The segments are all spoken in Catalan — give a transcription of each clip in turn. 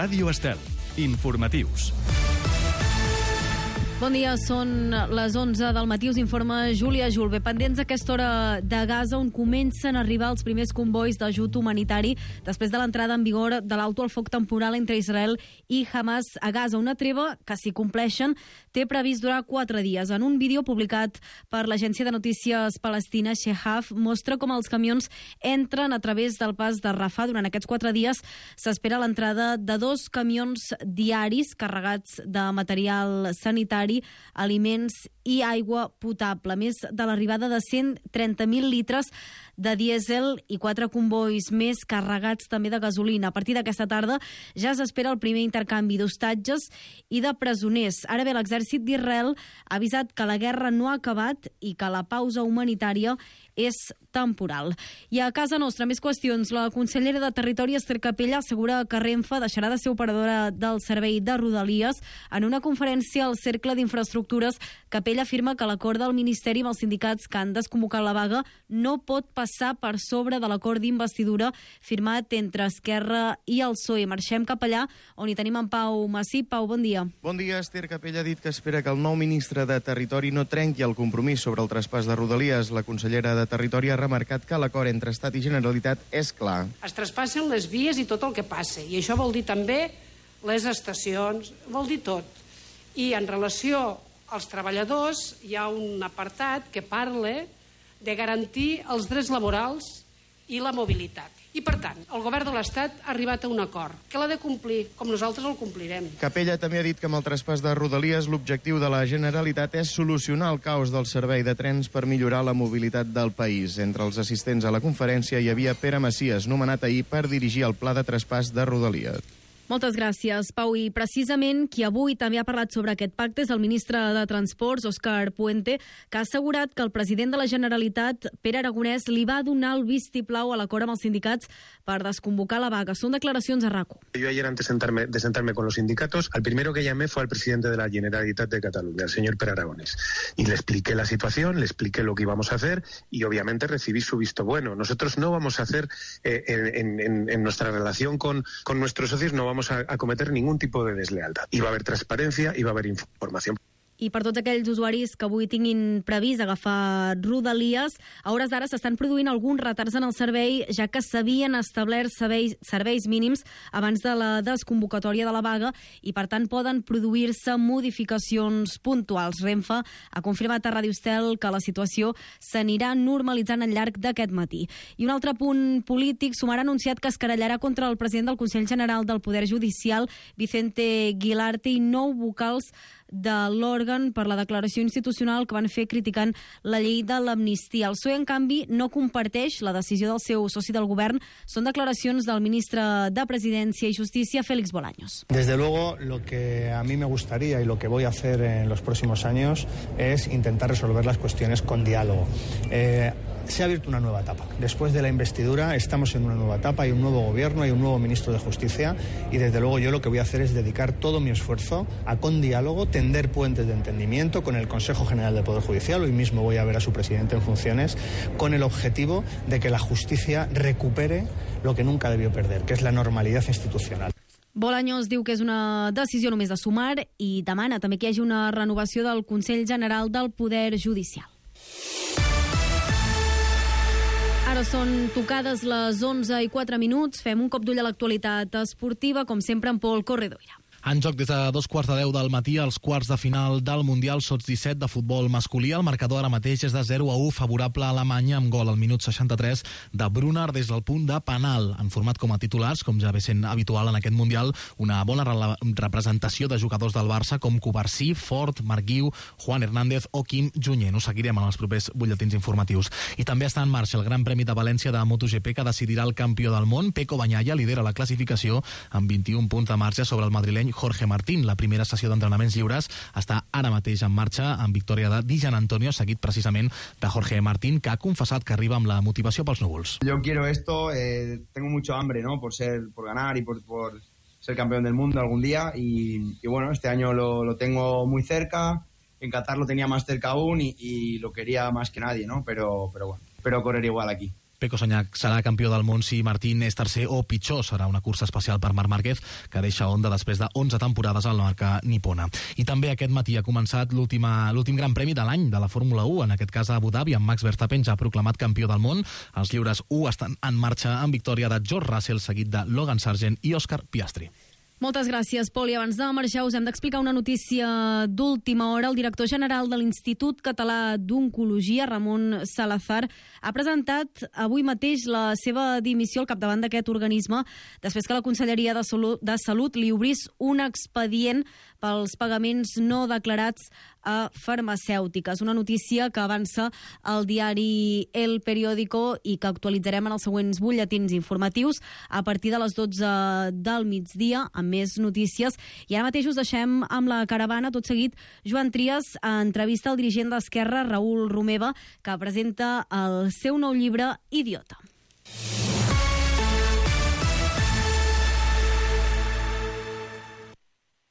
Ràdio Estel. Informatius. Bon dia, són les 11 del matí, us informa Júlia Julve. Pendents a aquesta hora de Gaza, on comencen a arribar els primers convois d'ajut humanitari després de l'entrada en vigor de l'alto al foc temporal entre Israel i Hamas a Gaza. Una treva que, si compleixen, té previst durar 4 dies. En un vídeo publicat per l'agència de notícies palestina Shehaf, mostra com els camions entren a través del pas de Rafah. Durant aquests 4 dies s'espera l'entrada de 2 camions diaris carregats de material sanitari, aliments i aigua potable, més de l'arribada de 130.000 litres de dièsel i 4 convois més carregats també de gasolina. A partir d'aquesta tarda ja s'espera el primer intercanvi d'hostatges i de presoners. Ara bé, l'exèrcit d'Israel ha avisat que la guerra no ha acabat i que la pausa humanitària és temporal. I a casa nostra, més qüestions. La consellera de Territori, Ester Capella, assegura que Renfe deixarà de ser operadora del servei de Rodalies. En una conferència al Cercle d'Infraestructures, Capella afirma que l'acord del Ministeri amb els sindicats que han desconvocat la vaga no pot passar per sobre de l'acord d'investidura firmat entre Esquerra i el PSOE. Marxem cap allà, on hi tenim en Pau Massip. Pau, bon dia. Bon dia. Ester Capella ha dit que espera que el nou ministre de Territori no trenqui el compromís sobre el traspàs de Rodalies. La consellera de Territori ha remarcat que l'acord entre Estat i Generalitat és clar. Es traspassen les vies i tot el que passa, i això vol dir també les estacions, vol dir tot. I en relació als treballadors hi ha un apartat que parla de garantir els drets laborals i la mobilitat. I, per tant, el govern de l'Estat ha arribat a un acord, que l'ha de complir, com nosaltres el complirem. Capella també ha dit que amb el traspàs de Rodalies l'objectiu de la Generalitat és solucionar el caos del servei de trens per millorar la mobilitat del país. Entre els assistents a la conferència hi havia Pere Macias, nomenat ahir per dirigir el pla de traspàs de Rodalies. Moltes gràcies, Pau. I precisament qui avui també ha parlat sobre aquest pacte és el ministre de Transports, Òscar Puente, que ha assegurat que el president de la Generalitat, Pere Aragonès, li va donar el vistiplau a l'acord amb els sindicats per desconvocar la vaga. Són declaracions a RACU. Yo ayer, antes de sentarme con los sindicatos, al primero que llamé fue al presidente de la Generalitat de Cataluña, el señor Pere Aragonès. Y le expliqué la situación, le expliqué lo que íbamos a hacer y obviamente recibí su visto bueno. Nosotros no vamos a hacer, en nuestra relación con nuestros socios, no vamos a cometer ningún tipo de deslealtad. Y va a haber transparencia y va a haber información. I per tots aquells usuaris que avui tinguin previst agafar Rodalies, a hores d'ara s'estan produint alguns retards en el servei, ja que s'havien establert serveis mínims abans de la desconvocatòria de la vaga i, per tant, poden produir-se modificacions puntuals. Renfe ha confirmat a Ràdio Estel que la situació s'anirà normalitzant al llarg d'aquest matí. I un altre punt polític, Sumar ha anunciat que es querellarà contra el president del Consell General del Poder Judicial, Vicente Guilarte, i 9 vocals de l'òrgan per la declaració institucional que van fer criticant la llei de l'amnistia. El PSOE, en canvi, no comparteix la decisió del seu soci del govern. Són declaracions del ministre de Presidència i Justícia, Félix Bolaños. Desde luego, lo que a mí me gustaría y lo que voy a hacer en los próximos años es intentar resolver las cuestiones con diálogo. Se ha abierto una nueva etapa. Después de la investidura estamos en una nueva etapa, hay un nuevo gobierno, hay un nuevo ministro de Justicia y desde luego yo lo que voy a hacer es dedicar todo mi esfuerzo a, con diálogo, tender puentes de entendimiento con el Consejo General del Poder Judicial. Hoy mismo voy a ver a su presidente en funciones con el objetivo de que la justicia recupere lo que nunca debió perder, que es la normalidad institucional. Bolaños diu que és una decisió només de Sumar i demana també que hi hagi una renovació del Consell General del Poder Judicial. Ara són tocades les 11:04. Fem un cop d'ull a l'actualitat esportiva, com sempre, amb Pol Corredoira. En joc des de 2:45 del matí als quarts de final del Mundial Sots-17 de futbol masculí. El marcador ara mateix és de 0-1 favorable a Alemanya, amb gol al minut 63 de Brunner des del punt de penal. Han format com a titulars, com ja ve sent habitual en aquest Mundial, una bona representació de jugadors del Barça com Covarsí, Fort, Marc Guiu, Juan Hernández o Quim Junyent. Ho seguirem en els propers butlletins informatius. I també està en marxa el Gran Premi de València de MotoGP, que decidirà el campió del món. Pecco Bagnaia lidera la classificació amb 21 punts de marge sobre el madrileny Jorge Martín. La primera sessió d'entrenaments lliures està ara mateix en marxa, amb victòria de Di Gianantonio, seguit precisament de Jorge Martín, que ha confessat que arriba amb la motivació pels núvols. Yo quiero esto, tengo mucho hambre, ¿no? por ganar y por ser campeón del mundo algún día y bueno, este año lo tengo muy cerca. En Qatar lo tenía más cerca aún y lo quería más que nadie, ¿no? Pero bueno, espero correr igual aquí. Pecco Sagnac serà campió del món si Martín és tercer o pitjor. Serà una cursa especial per Marc Márquez, que deixa Honda després de 11 temporades a la marca nipona. I també aquest matí ha començat l'últim Gran Premi de l'any de la Fórmula 1, en aquest cas a Abu Dhabi, amb Max Verstappen ja proclamat campió del món. Els lliures 1 estan en marxa amb victòria de George Russell, seguit de Logan Sargent i Oscar Piastri. Moltes gràcies, Pol. I abans de marxar us hem d'explicar una notícia d'última hora. El director general de l'Institut Català d'Oncologia, Ramon Salazar, ha presentat avui mateix la seva dimissió al capdavant d'aquest organisme després que la Conselleria de Salut li obrís un expedient pels pagaments no declarats a farmacèutiques. Una notícia que avança al diari El Periódico i que actualitzarem en els següents butlletins informatius a partir de les 12 del migdia, amb més notícies. I ara mateix us deixem amb la caravana. Tot seguit, Joan Trias entrevista al dirigent d'Esquerra, Raül Romeva, que presenta el seu nou llibre, Idiota.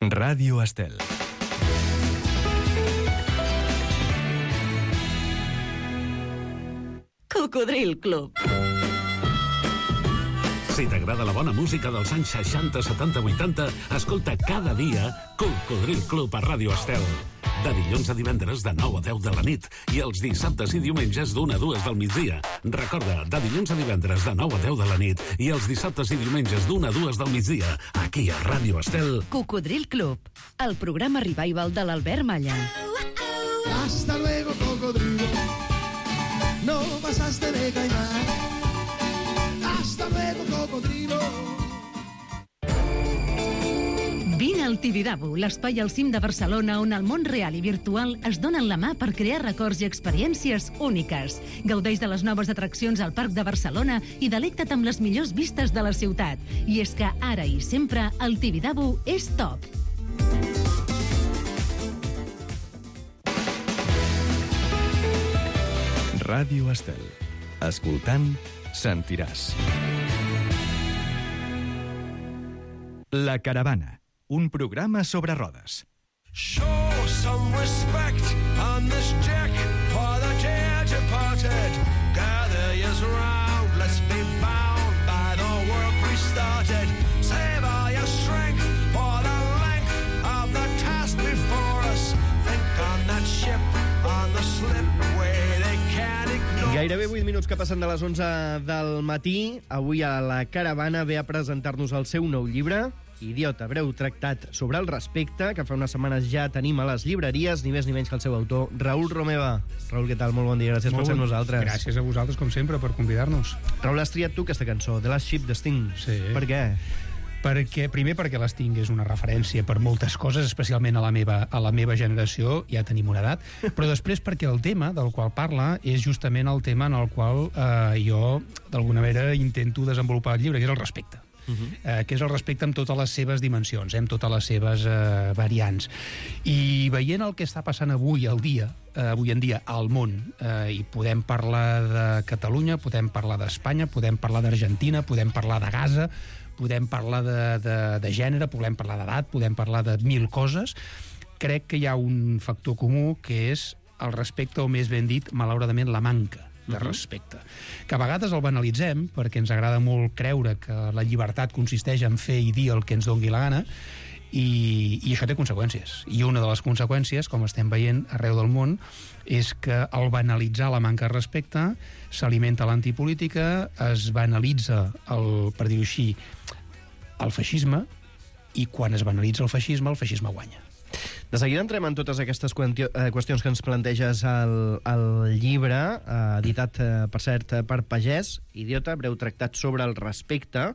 Ràdio Estel. Cocodril Club. Si t'agrada la bona música dels anys 60, 70, 80, escolta cada dia Cocodril Club a Ràdio Estel. De dilluns a divendres de 9 a 10 de la nit i els dissabtes i diumenges d'1 a 2 del migdia. Recorda, de dilluns a divendres de 9 a 10 de la nit i els dissabtes i diumenges d'1 a 2 del migdia, aquí a Ràdio Estel. Cocodril Club, el programa revival de l'Albert Malla. Hasta luego, cocodrilo. No pasaste de caimán. Hasta luego, cocodrilo. Vine al Tibidabo, l'espai al cim de Barcelona on el món real i virtual es donen la mà per crear records i experiències úniques. Gaudeix de les noves atraccions al Parc de Barcelona i delecta't amb les millors vistes de la ciutat. I és que ara i sempre el Tibidabo és top. Ràdio Estel. Escoltant, sentiràs. La caravana, un programa sobre rodes. Show some respect on this deck for the dear departed. Gather yours round, let's be bound by the work we started. Save all your strength for the length of the task before us. Think on that ship, on the slipway they can't ignore. Gairebé 8 minuts que passen de les 11 del matí. Avui a la caravana ve a presentar-nos el seu nou llibre, Idiota, breu tractat sobre el respecte, que fa unes setmanes ja tenim a les llibreries, ni més ni menys que el seu autor, Raül Romeva. Raül, què tal? Molt bon dia, gràcies per ser amb nosaltres. Gràcies a vosaltres, com sempre, per convidar-nos. Raül, has triat tu aquesta cançó, The Last Ship de Sting. Sí. Per què? Primer perquè l'Sting és una referència per moltes coses, especialment a la meva generació, ja tenim una edat, però després perquè el tema del qual parla és justament el tema en el qual jo, d'alguna manera, intento desenvolupar el llibre, que és el respecte. Que és el respecte amb totes les seves dimensions, amb totes les seves variants. I veient el que està passant avui en dia al món, i podem parlar de Catalunya, podem parlar d'Espanya, podem parlar d'Argentina, podem parlar de Gaza, podem parlar de gènere, podem parlar d'edat, podem parlar de mil coses, crec que hi ha un factor comú que és el respecte, o més ben dit, malauradament, la manca de respecte. Que a vegades el banalitzem, perquè ens agrada molt creure que la llibertat consisteix en fer i dir el que ens dongui la gana, i això té conseqüències. I una de les conseqüències, com estem veient arreu del món, és que al banalitzar la manca de respecte s'alimenta l'antipolítica, es banalitza, per dir-ho així, el feixisme, i quan es banalitza el feixisme guanya. De seguida entrem en totes aquestes qüestions que ens planteges al llibre, editat, per cert, per Pagès, Idiota, breu tractat sobre el respecte,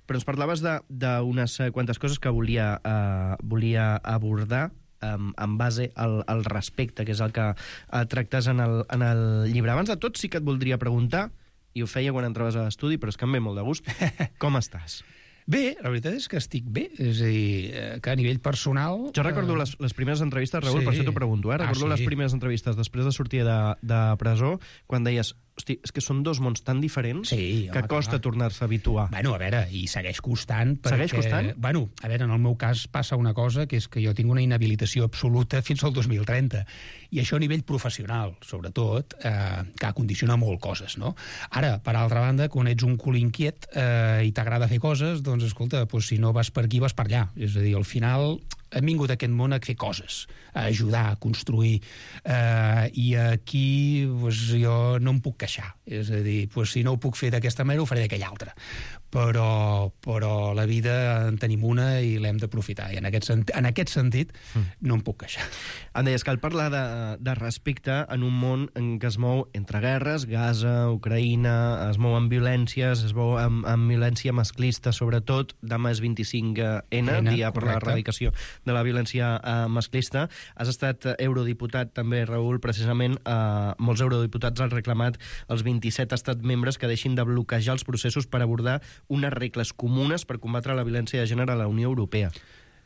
però ens parlaves d'unes quantes coses que volia abordar en base al respecte, que és el que tractes en el llibre. Abans de tot, sí que et voldria preguntar, i ho feia quan entraves a l'estudi, però és que em ve molt de gust, com estàs? Bé, la veritat és que estic bé, és a dir, que a nivell personal... Jo recordo les primeres entrevistes, Raül, per això t'ho pregunto, recordo les primeres entrevistes després de sortir de presó, quan deies, hosti, és que són dos mons tan diferents que costa tornar-se a habituar. Bueno, a veure, i segueix costant. Segueix costant? Bueno, a veure, en el meu cas passa una cosa, que és que jo tinc una inhabilitació absoluta fins al 2030. I això a nivell professional, sobretot, que condiciona molt coses, no? Ara, per altra banda, quan ets un cul inquiet i t'agrada fer coses, doncs, escolta, si no vas per aquí, vas per allà. És a dir, al final hem vingut a aquest món a fer coses, a ajudar, a construir, i aquí jo no em puc queixar. És a dir, si no ho puc fer d'aquesta manera, ho faré d'aquella altra. Però la vida en tenim una i l'hem d'aprofitar. I en aquest sentit no em puc queixar. Em deies, cal parlar de respecte en un món en què es mou entre guerres, Gaza, Ucraïna, es mou amb violències, es mou amb violència masclista, sobretot. Demà és 25N, dia per l'erradicació de la violència masclista. Has estat eurodiputat també, Raül, precisament molts eurodiputats han reclamat als 27 estats membres que deixin de bloquejar els processos per abordar unes regles comunes per combatre la violència de gènere a la Unió Europea.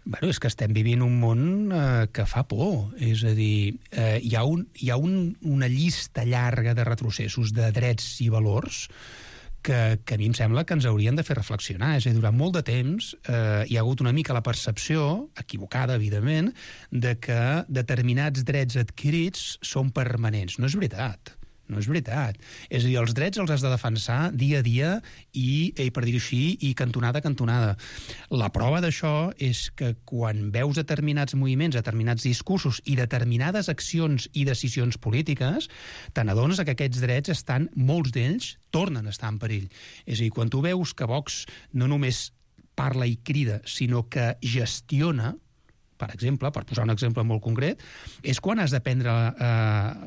Bueno, és que estem vivint un món que fa por. És a dir, hi ha una llista llarga de retrocessos de drets i valors que a mi em sembla que ens haurien de fer reflexionar. És a dir, durant molt de temps hi ha hagut una mica la percepció, equivocada, evidentment, de que determinats drets adquirits són permanents. No és veritat. No és veritat. És a dir, els drets els has de defensar dia a dia i per dir-ho així, i cantonada a cantonada. La prova d'això és que quan veus determinats moviments, determinats discursos i determinades accions i decisions polítiques, te n'adones que aquests drets estan, molts d'ells, tornen a estar en perill. És a dir, quan tu veus que Vox no només parla i crida, sinó que gestiona, per exemple, per posar un exemple molt concret, és quan has de prendre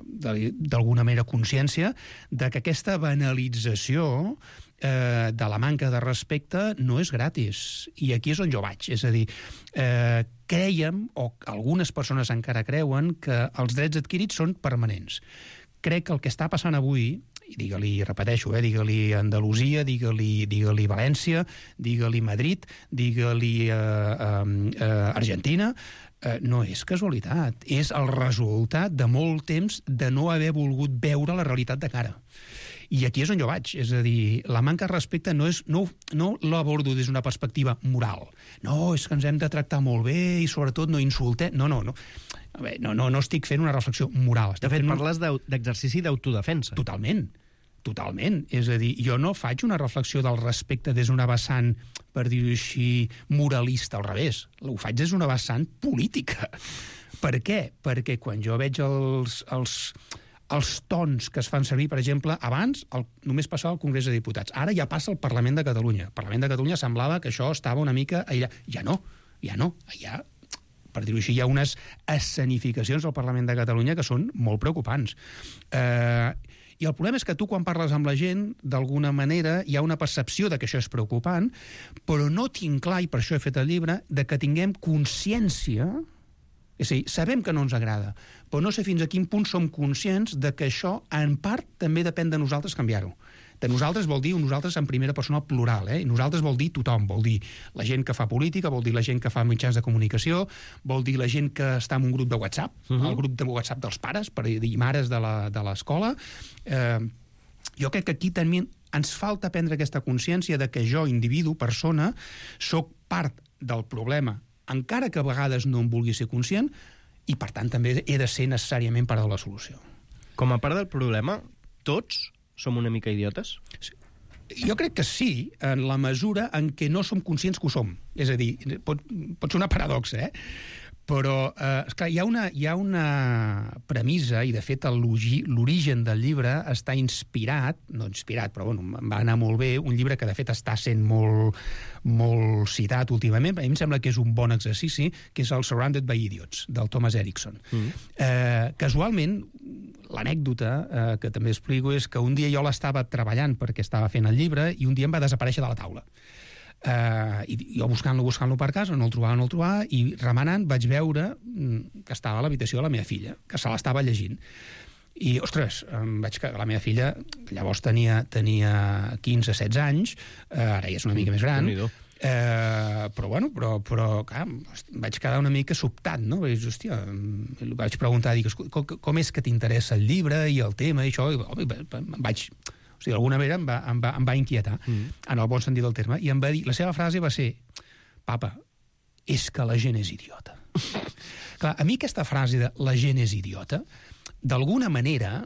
d'alguna manera consciència de que aquesta banalització de la manca de respecte no és gratis. I aquí és on jo vaig. És a dir, creiem, o algunes persones encara creuen, que els drets adquirits són permanents. Crec que el que està passant avui, i digue-li, repeteixo, digue-li Andalusia, digue-li València, digue-li Madrid, digue-li Argentina, no és casualitat, és el resultat de molt temps de no haver volgut veure la realitat de cara. I aquí és on jo vaig, és a dir, la manca de respecte no l'abordo des d'una perspectiva moral. No, és que ens hem de tractar molt bé i sobretot no insultem. No. No estic fent una reflexió moral. De fet, parles d'exercici d'autodefensa. Totalment. És a dir, jo no faig una reflexió del respecte des d'una vessant, per dir-ho així, moralista, al revés. Ho faig des d'una vessant política. Per què? Perquè quan jo veig els tons que es fan servir, per exemple, abans només passava al Congrés de Diputats. Ara ja passa al Parlament de Catalunya. Al Parlament de Catalunya semblava que això estava una mica aïllat. Ja no. Allà, per dir-ho així, hi ha unes escenificacions al Parlament de Catalunya que són molt preocupants. I el problema és que tu, quan parles amb la gent, d'alguna manera hi ha una percepció de que això és preocupant, però no tinc clar, i per això he fet el llibre, de que tinguem consciència. És a dir, sabem que no ens agrada, però no sé fins a quin punt som conscients de que això, en part, també depèn de nosaltres canviar-ho. De nosaltres vol dir nosaltres en primera persona plural, i nosaltres vol dir tothom, vol dir la gent que fa política, vol dir la gent que fa mitjans de comunicació, vol dir la gent que està en un grup de WhatsApp, el grup de WhatsApp dels pares, per dir mares de l'escola. Jo crec que aquí també ens falta prendre aquesta consciència de que jo, individu, persona, sóc part del problema, encara que a vegades no em vulgui ser conscient, i per tant també he de ser necessàriament part de la solució. Com a part del problema, tots som una mica idiotes? Jo crec que sí, en la mesura en què no som conscients que ho som. És a dir, pot ser una paradoxa, però esclar, hi ha una premissa, i de fet l'origen del llibre està inspirat, però bueno, em va anar molt bé, un llibre que de fet està sent molt citat últimament, a mi em sembla que és un bon exercici, que és el Surrounded by Idiots, del Thomas Erickson. Casualment, l'anècdota que també explico és que un dia jo l'estava treballant perquè estava fent el llibre i un dia em va desaparèixer de la taula. I jo buscant-lo per casa, no el trobava, i remenant vaig veure que estava a l'habitació de la meva filla, que se l'estava llegint. I, ostres, vaig que la meva filla, llavors tenia 15-16 anys, ara ja és una mica més gran, Però clar, vaig quedar una mica sobtat, no? Hòstia, vaig preguntar, dic, com és que t'interessa el llibre i el tema i això? I vaig... O sigui, d'alguna manera em va inquietar, en el bon sentit del terme, i em va dir, la seva frase va ser, papa, és que la gent és idiota. Clar, a mi aquesta frase de la gent és idiota, d'alguna manera,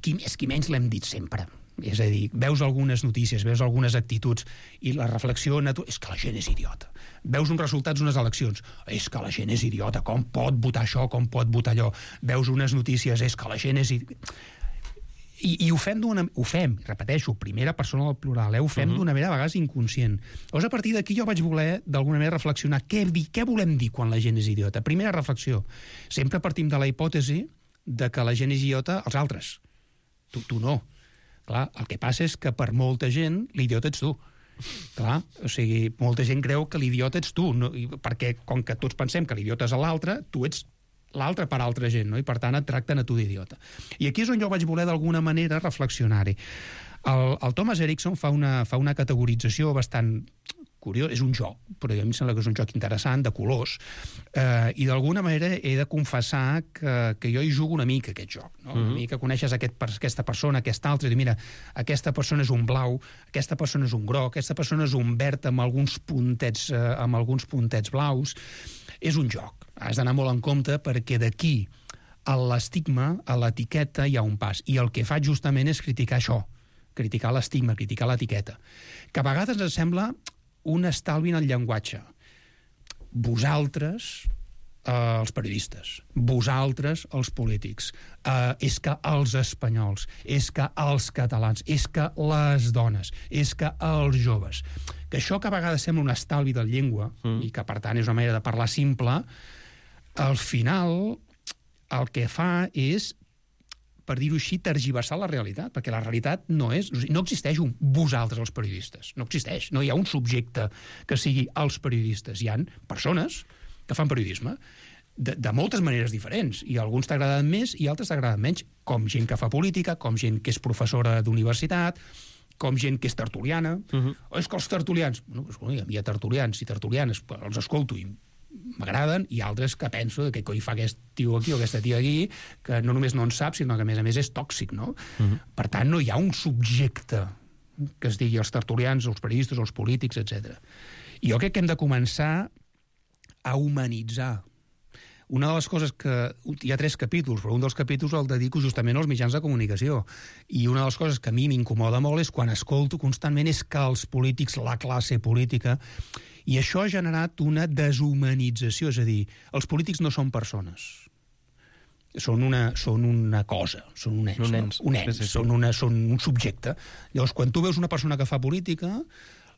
qui més qui menys l'hem dit sempre. És a dir, veus algunes notícies, veus algunes actituds i la reflexió és que la gent és idiota. Veus uns resultats d'unes eleccions, és que la gent és idiota, com pot votar això, com pot votar allò. Veus unes notícies, és que la gent és idiota. I ho fem, repeteixo, primera persona del plural, ho fem d'una manera a vegades inconscient. Llavors, a partir d'aquí jo vaig voler, d'alguna manera, reflexionar què volem dir quan la gent és idiota. Primera reflexió, sempre partim de la hipòtesi de que la gent és idiota als altres. Tu no. Clar, el que passa és que per molta gent l'idiota ets tu. Clar, o sigui, molta gent creu que l'idiota ets tu, no? Perquè com que tots pensem que l'idiota és l'altre, tu ets l'altre per altra gent, no? I per tant et tracten a tu d'idiota. I aquí és on jo vaig voler d'alguna manera reflexionar-hi. El Thomas Erickson fa una categorització bastant curiós, és un joc, però a mi em sembla que és un joc interessant, de colors, i d'alguna manera he de confessar que jo hi jugo una mica aquest joc, no? Una mica coneixes aquesta persona, aquesta altra, i dir, mira, aquesta persona és un blau, aquesta persona és un groc, aquesta persona és un verd amb alguns puntets blaus. És un joc, has d'anar molt en compte perquè d'aquí a l'estigma, a l'etiqueta, hi ha un pas, i el que faig justament és criticar això, criticar l'estigma, criticar l'etiqueta, que a vegades ens sembla un estalvi en el llenguatge. Vosaltres, els periodistes, vosaltres, els polítics, és que els espanyols, és que els catalans, és que les dones, és que els joves. Que això que a vegades sembla un estalvi de llengua, i que per tant és una manera de parlar simple, al final el que fa és, per dir-ho així, tergiversar la realitat, perquè la realitat no existeix un vosaltres els periodistes, no existeix, no hi ha un subjecte que sigui els periodistes, hi ha persones que fan periodisme de moltes maneres diferents, i alguns t'agraden més i altres t'agraden menys, com gent que fa política, com gent que és professora d'universitat, com gent que és tertuliana. És que els tertulians, hi ha tertulians i tertulianes, els escolto i m'agraden, i altres que penso que coi fa aquest tio aquí o aquesta tia aquí, que no només no en sap, sinó que a més és tòxic, no? Per tant, no hi ha un subjecte que es digui els tertulians, els periodistes, els polítics, etc. I jo crec que hem de començar a humanitzar. Una de les coses que... Hi ha 3 capítols, però un dels capítols el dedico justament als mitjans de comunicació. I una de les coses que a mi m'incomoda molt és quan escolto constantment és que els polítics, la classe política... I això ha generat una deshumanització, és a dir, els polítics no són persones. Són una cosa, són un ens, sí. Són un subjecte. Llavors, quan tu veus una persona que fa política,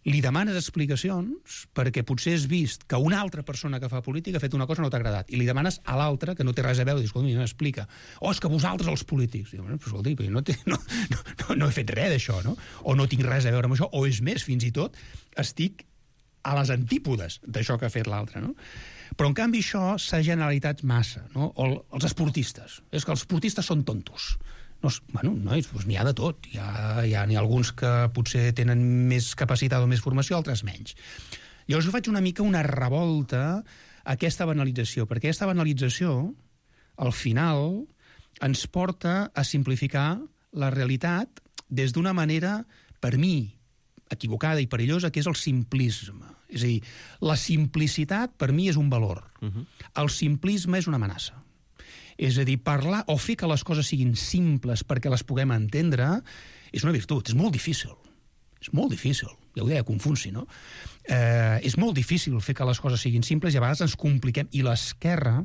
li demanes explicacions perquè potser has vist que una altra persona que fa política ha fet una cosa que no t'ha agradat, i li demanes a l'altre, que no té res a veure, i dius, escolta, m'explica. És que vosaltres els polítics. Diu, escolta, no he fet res d'això, no? O no tinc res a veure amb això, o és més, fins i tot, estic a les antípodes d'això que ha fet l'altre, no? Però, en canvi, això s'ha generalitzat massa, no? O els esportistes. És que els esportistes són tontos. Nois, n'hi ha de tot. N'hi ha alguns que potser tenen més capacitat o més formació, altres menys. Llavors, jo faig una mica una revolta a aquesta banalització, perquè aquesta banalització, al final, ens porta a simplificar la realitat des d'una manera, per mi, equivocada i perillosa, que és el simplisme. És a dir, la simplicitat per mi és un valor. El simplisme és una amenaça. És a dir, parlar o fer que les coses siguin simples perquè les puguem entendre és una virtut, és molt difícil. És molt difícil. Ja ho deia Confuci, no? És molt difícil fer que les coses siguin simples i a vegades ens compliquem. I l'esquerra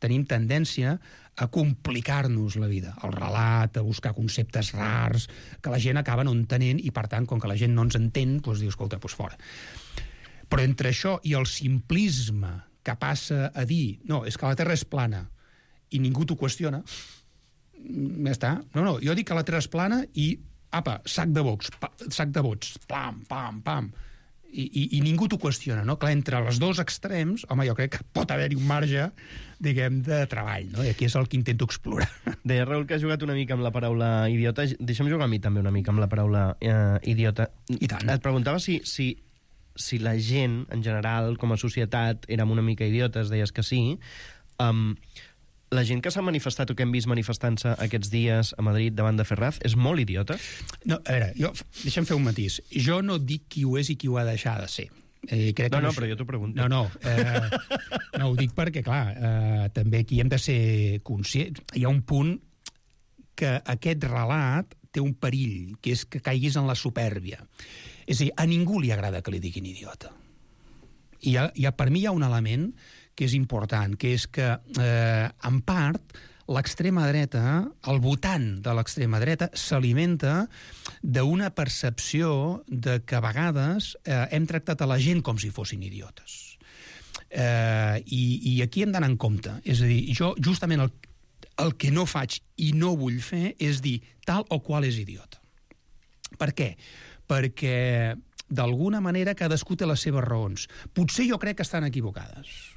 tenim tendència a complicar-nos la vida, el relat, a buscar conceptes rars, que la gent acaba no entenent, i per tant, com que la gent no ens entén, doncs diu, escolta, doncs fora. Però entre això i el simplisme que passa a dir, no, és que la Terra és plana, i ningú t'ho qüestiona, ja està. No, jo dic que la Terra és plana i, sac de vots, pam, pam, pam, i ningú t'ho qüestiona, no? Clar, entre els dos extrems, home, jo crec que pot haver-hi un marge, diguem, de treball, no? I aquí és el que intento explorar. Deia, Raül, que has jugat una mica amb la paraula idiota. Deixa'm jugar a mi també una mica amb la paraula idiota. I tant. Et preguntava si si la gent, en general, com a societat, érem una mica idiotes, deies que sí, la gent que s'ha manifestat o que hem vist manifestant-se aquests dies a Madrid davant de Ferraz és molt idiota? No, a veure, deixa'm fer un matís. Jo no dic qui ho és i qui ho ha de deixar de ser. Crec que però jo t'ho pregunto. No, ho dic perquè, clar, també aquí hem de ser conscients. Hi ha un punt que aquest relat té un perill, que és que caiguis en la supèrbia. És a dir, a ningú li agrada que li diguin idiota. I per mi hi ha un element que és important, que és que, en part, l'extrema dreta, el votant de l'extrema dreta, s'alimenta d'una percepció de que a vegades hem tractat a la gent com si fossin idiotes. I aquí hem d'anar en compte. És a dir, jo justament el que no faig i no vull fer és dir tal o qual és idiota. Per què? Perquè, d'alguna manera, cadascú té les seves raons. Potser jo crec que estan equivocades,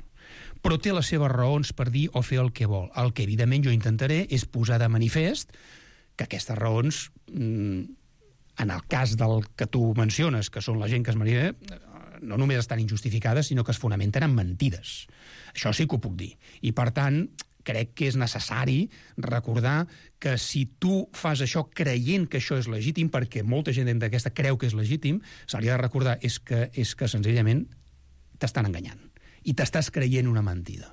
però té les seves raons per dir o fer el que vol. El que, evidentment, jo intentaré és posar de manifest que aquestes raons, en el cas del que tu menciones, que són la gent que es manifesta, no només estan injustificades, sinó que es fonamenten en mentides. Això sí que ho puc dir. I, per tant, crec que és necessari recordar que si tu fas això creient que això és legítim, perquè molta gent d'aquesta creu que és legítim, se li ha de recordar és que senzillament t'estan enganyant i t'estàs creient una mentida.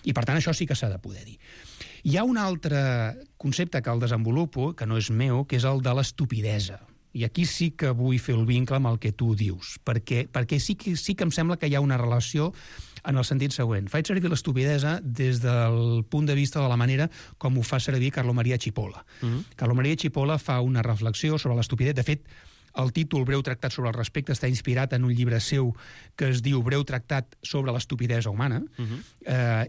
I, per tant, això sí que s'ha de poder dir. Hi ha un altre concepte que el desenvolupo, que no és meu, que és el de l'estupidesa. I aquí sí que vull fer el vincle amb el que tu dius, perquè sí que em sembla que hi ha una relació en el sentit següent. Faig servir l'estupidesa des del punt de vista de la manera com ho fa servir Carlo Maria Cipolla. Carlo Maria Cipolla fa una reflexió sobre l'estupidesa. De fet, el títol Breu tractat sobre el respecte està inspirat en un llibre seu que es diu Breu tractat sobre l'estupidesa humana,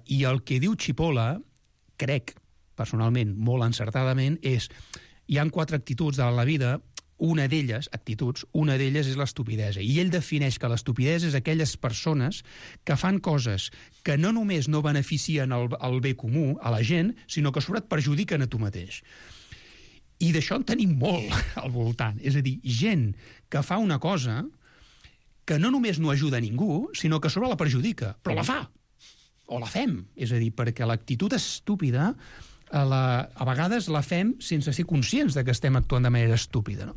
i el que diu Cipolla, crec, personalment, molt encertadament, és hi ha 4 actituds de la vida, una d'elles és l'estupidesa. I ell defineix que l'estupidesa és aquelles persones que fan coses que no només no beneficien el bé comú, a la gent, sinó que sobretot perjudiquen a tu mateix. I d'això en tenim molt al voltant. És a dir, gent que fa una cosa que no només no ajuda a ningú, sinó que sobre la perjudica, però la fa. O la fem. És a dir, perquè l'actitud estúpida a vegades la fem sense ser conscients de que estem actuant de manera estúpida. No?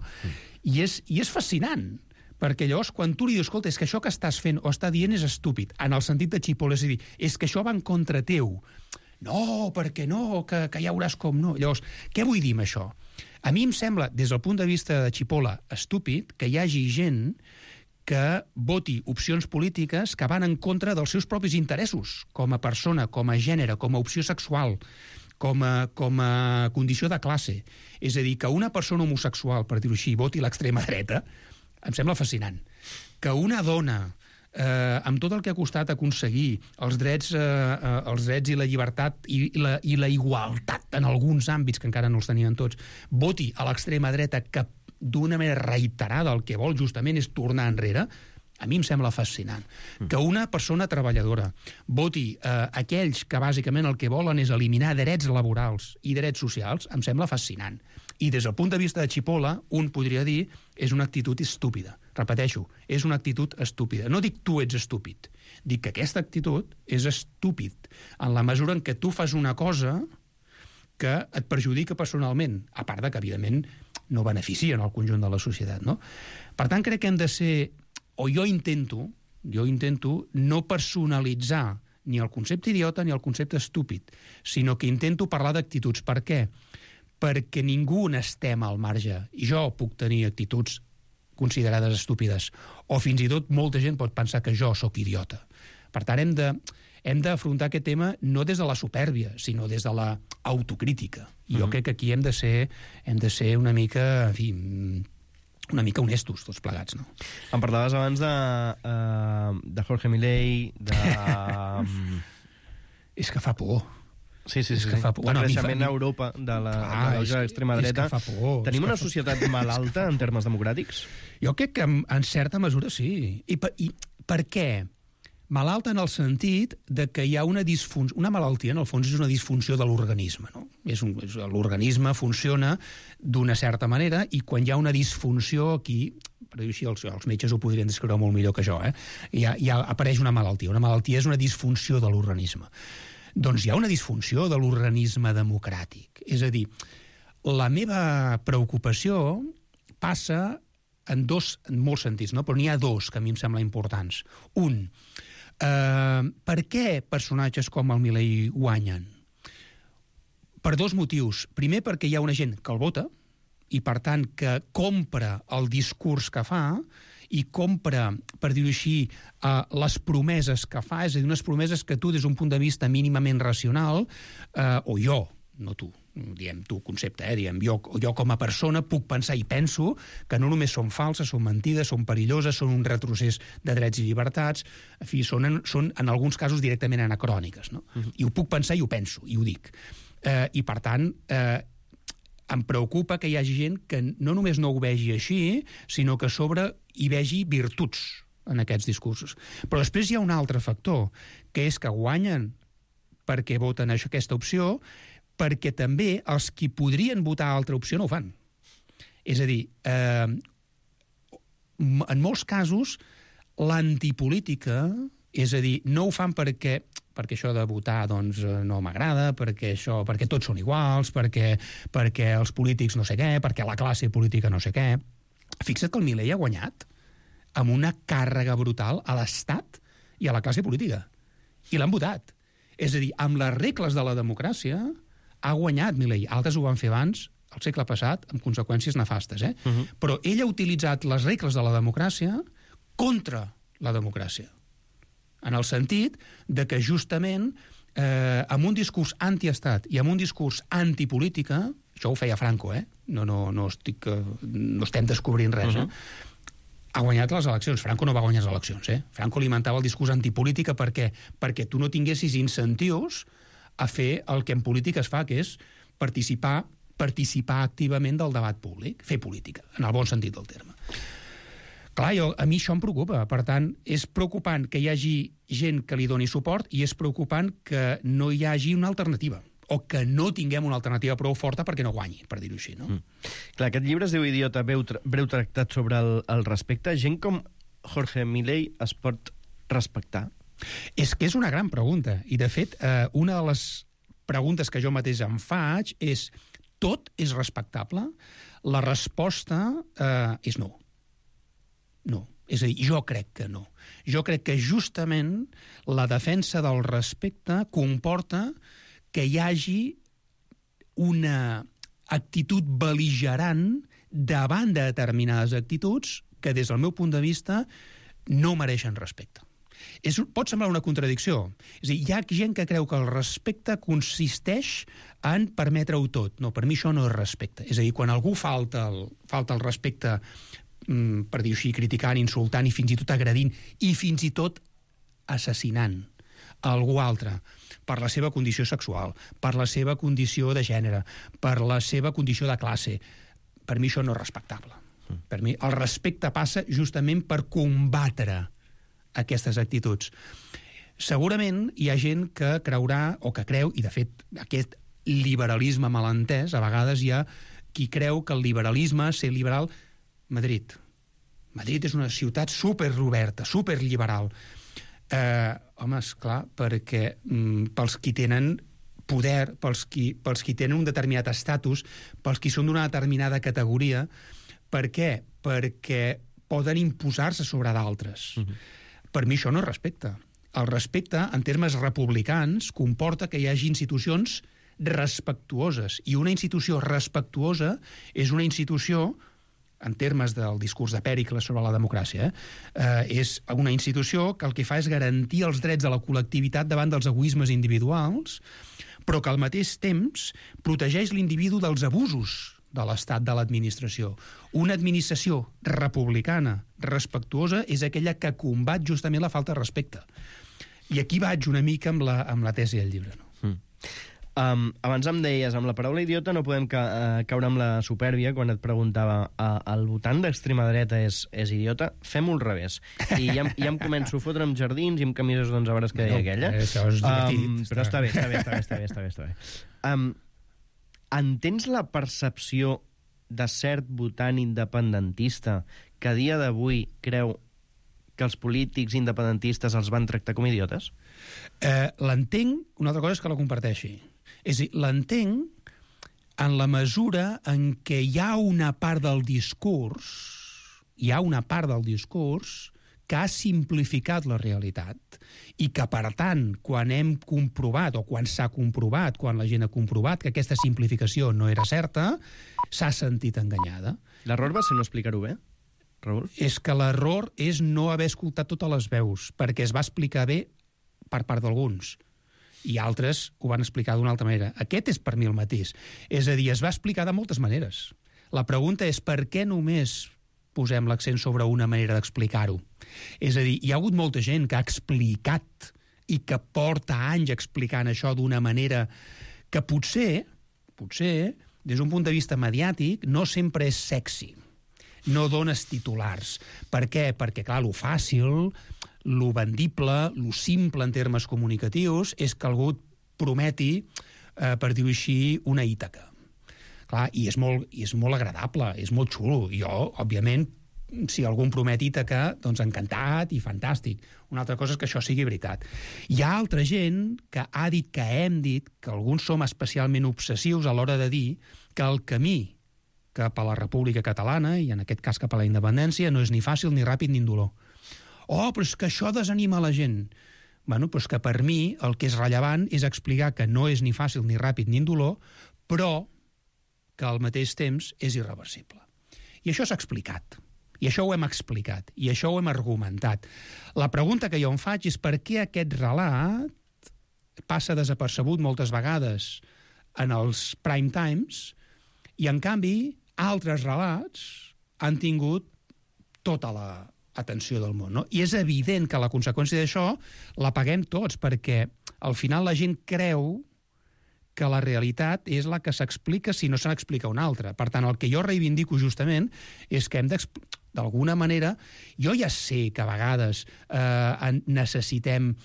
I és fascinant, perquè llavors quan tu li dius, escolta, és que això que estàs fent o està dient és estúpid, en el sentit de Cipolla, és a dir, és que això va en contra teu. No, perquè no, que ja veuràs com no. Llavors, què vull dir amb això? A mi em sembla, des del punt de vista de Cipolla, estúpid que hi hagi gent que voti opcions polítiques que van en contra dels seus propis interessos, com a persona, com a gènere, com a opció sexual, com a condició de classe. És a dir, que una persona homosexual, per dir-ho així, voti l'extrema dreta, em sembla fascinant. Que una dona, amb tot el que ha costat aconseguir els drets i la llibertat i la igualtat en alguns àmbits que encara no els tenien tots, voti a l'extrema dreta que d'una manera reiterada el que vol justament és tornar enrere, a mi em sembla fascinant. Que una persona treballadora voti aquells que bàsicament el que volen és eliminar drets laborals i drets socials, em sembla fascinant. I des del punt de vista de Cipolla, un podria dir és una actitud estúpida. Repeteixo, és una actitud estúpida. No dic tu ets estúpid, dic que aquesta actitud és estúpid en la mesura en què tu fas una cosa que et perjudica personalment, a part de que, evidentment, no beneficia en el conjunt de la societat. No? Per tant, crec que hem de ser, o jo intento no personalitzar ni el concepte idiota ni el concepte estúpid, sinó que intento parlar d'actituds. Per què? Perquè ningú n'estem al marge. I jo puc tenir actituds considerades estúpides, o fins i tot molta gent pot pensar que jo sóc idiota. Per tant, hem d'afrontar aquest tema no des de la supèrbia, sinó des de la autocrítica. I jo crec que aquí hem de ser una mica, en fi, una mica honestos, tots plegats, no? Em parlaves abans de Jorge Milei, És que fa por. Sí. Bueno, el creixement a Europa de l'extrema dreta. Tenim una societat malalta en termes democràtics? Jo crec que en certa mesura sí. I per què? Malalta en el sentit de que hi ha una disfunció. Una malaltia, en el fons, és una disfunció de l'organisme. No? L'organisme funciona d'una certa manera i quan hi ha una disfunció aquí, per per dir-ho així, els metges ho podrien descriure molt millor que jo, ja apareix una malaltia. Una malaltia és una disfunció de l'organisme. Doncs hi ha una disfunció de l'organisme democràtic. És a dir, la meva preocupació passa en molts sentits, no? Però n'hi ha dos que a mi em semblen importants. Un, per què personatges com el Milei guanyen? Per dos motius. Primer, perquè hi ha una gent que el vota i, per tant, que compra el discurs que fa i compra, per dir-ho així, les promeses que fa, és a dir, unes promeses que tu, des d'un punt de vista mínimament racional, o jo, no tu, diem tu concepte, diem jo com a persona puc pensar i penso que no només són falses, són mentides, són perilloses, són un retrocés de drets i llibertats, en fi, són en alguns casos directament anacròniques, no? I ho puc pensar i ho penso, i ho dic. I, per tant, em preocupa que hi hagi gent que no només no ho vegi així, sinó que a sobre hi vegi virtuts en aquests discursos. Però després hi ha un altre factor, que és que guanyen perquè voten aquesta opció, perquè també els qui podrien votar altra opció no ho fan. És a dir, en molts casos, l'antipolítica, és a dir, no ho fan perquè això de votar doncs, no m'agrada, perquè tots són iguals, perquè els polítics no sé què, perquè la classe política no sé què. Fixa't que el Milei ha guanyat amb una càrrega brutal a l'Estat i a la classe política. I l'han votat. És a dir, amb les regles de la democràcia ha guanyat Milei. Altres ho van fer abans, al segle passat, amb conseqüències nefastes. Però ell ha utilitzat les regles de la democràcia contra la democràcia. En el sentit de que justament amb un discurs antiestat i amb un discurs antipolítica, això ho feia Franco, no estem descobrint res, ha guanyat les eleccions. Franco no va guanyar les eleccions, Franco alimentava el discurs antipolítica perquè tu no tinguessis incentius a fer el que en política es fa, que és participar activament del debat públic, fer política, en el bon sentit del terme. Clar, a mi això em preocupa. Per tant, és preocupant que hi hagi gent que li doni suport i és preocupant que no hi hagi una alternativa o que no tinguem una alternativa prou forta perquè no guanyi, per dir-ho així, no? Clar, aquest llibre es diu Idiota, breu tractat sobre el respecte. Gent com Jorge Milei es pot respectar? És que és una gran pregunta. I, de fet, una de les preguntes que jo mateix em faig és: tot és respectable? La resposta és no. No. És a dir, jo crec que no. Jo crec que justament la defensa del respecte comporta que hi hagi una actitud bel·ligerant davant de determinades actituds que, des del meu punt de vista, no mereixen respecte. Pot semblar una contradicció. És a dir, hi ha gent que creu que el respecte consisteix en permetre-ho tot. No, per mi això no és respecte. És a dir, quan algú falta el respecte, per dir-ho així, criticant, insultant i fins i tot agredint i fins i tot assassinant algú altre per la seva condició sexual, per la seva condició de gènere, per la seva condició de classe, per mi això no és respectable. Per mi el respecte passa justament per combatre aquestes actituds. Segurament hi ha gent que creurà o que creu, i de fet aquest liberalisme malentès, a vegades hi ha qui creu que el liberalisme, ser liberal, Madrid és una ciutat superoberta, superliberal. Home, esclar, perquè pels qui tenen poder, pels qui tenen un determinat estatus, pels qui són d'una determinada categoria, per què? Perquè poden imposar-se sobre d'altres. Per mi això no és respecte. El respecte, en termes republicans, comporta que hi hagi institucions respectuoses, i una institució respectuosa és una institució, en termes del discurs de Pèricles sobre la democràcia, és una institució que el que fa és garantir els drets de la col·lectivitat davant dels egoismes individuals, però que al mateix temps protegeix l'individu dels abusos de l'estat, de l'administració. Una administració republicana, respectuosa, és aquella que combat justament la falta de respecte. I aquí vaig una mica amb la tesi del llibre, no? Abans em deies, amb la paraula idiota no podem caure amb la supèrbia quan et preguntava el votant d'extrema dreta és idiota? Fem-ho al revés. I ja em començo a fotre amb jardins i amb camises d'11 hores que deia aquella. Això és divertit. Però està bé. Entens la percepció de cert votant independentista que a dia d'avui creu que els polítics independentistes els van tractar com idiotes? L'entenc, una altra cosa és que la comparteixi. És a dir, l'entenc en la mesura en què hi ha una part del discurs que ha simplificat la realitat i que, per tant, quan hem comprovat, o quan s'ha comprovat, quan la gent ha comprovat que aquesta simplificació no era certa, s'ha sentit enganyada. L'error va ser no explicar-ho bé, Raül? És que l'error és no haver escoltat totes les veus, perquè es va explicar bé per part d'alguns, i altres ho van explicar d'una altra manera. Aquest és per mi el mateix. És a dir, es va explicar de moltes maneres. La pregunta és per què només posem l'accent sobre una manera d'explicar-ho. És a dir, hi ha hagut molta gent que ha explicat i que porta anys explicant això d'una manera que potser, des d'un punt de vista mediàtic, no sempre és sexy. No dones titulars. Per què? Perquè, clar, lo fàcil, lo vendible, lo simple en termes comunicatius, és que algú prometi, per dir-ho així, una Ítaca. Clar, i és molt agradable, és molt xulo. Jo, òbviament, si algú em promet Ítaca, doncs encantat i fantàstic. Una altra cosa és que això sigui veritat. Hi ha altra gent que ha dit, que hem dit, que alguns som especialment obsessius a l'hora de dir que el camí cap a la República Catalana, i en aquest cas cap a la independència, no és ni fàcil, ni ràpid, ni indolor. Oh, però és que això desanima la gent. Bueno, però és que per mi el que és rellevant és explicar que no és ni fàcil, ni ràpid, ni indolor, però que al mateix temps és irreversible. I això s'ha explicat. I això ho hem explicat. I això ho hem argumentat. La pregunta que jo em faig és per què aquest relat passa desapercebut moltes vegades en els prime times i, en canvi, altres relats han tingut tota l'atenció del món. No? I és evident que la conseqüència d'això la paguem tots, perquè al final la gent creu que la realitat és la que s'explica si no se n'explica una altra. Per tant, el que jo reivindico justament és que hem d'alguna manera, jo ja sé que a vegades necessitem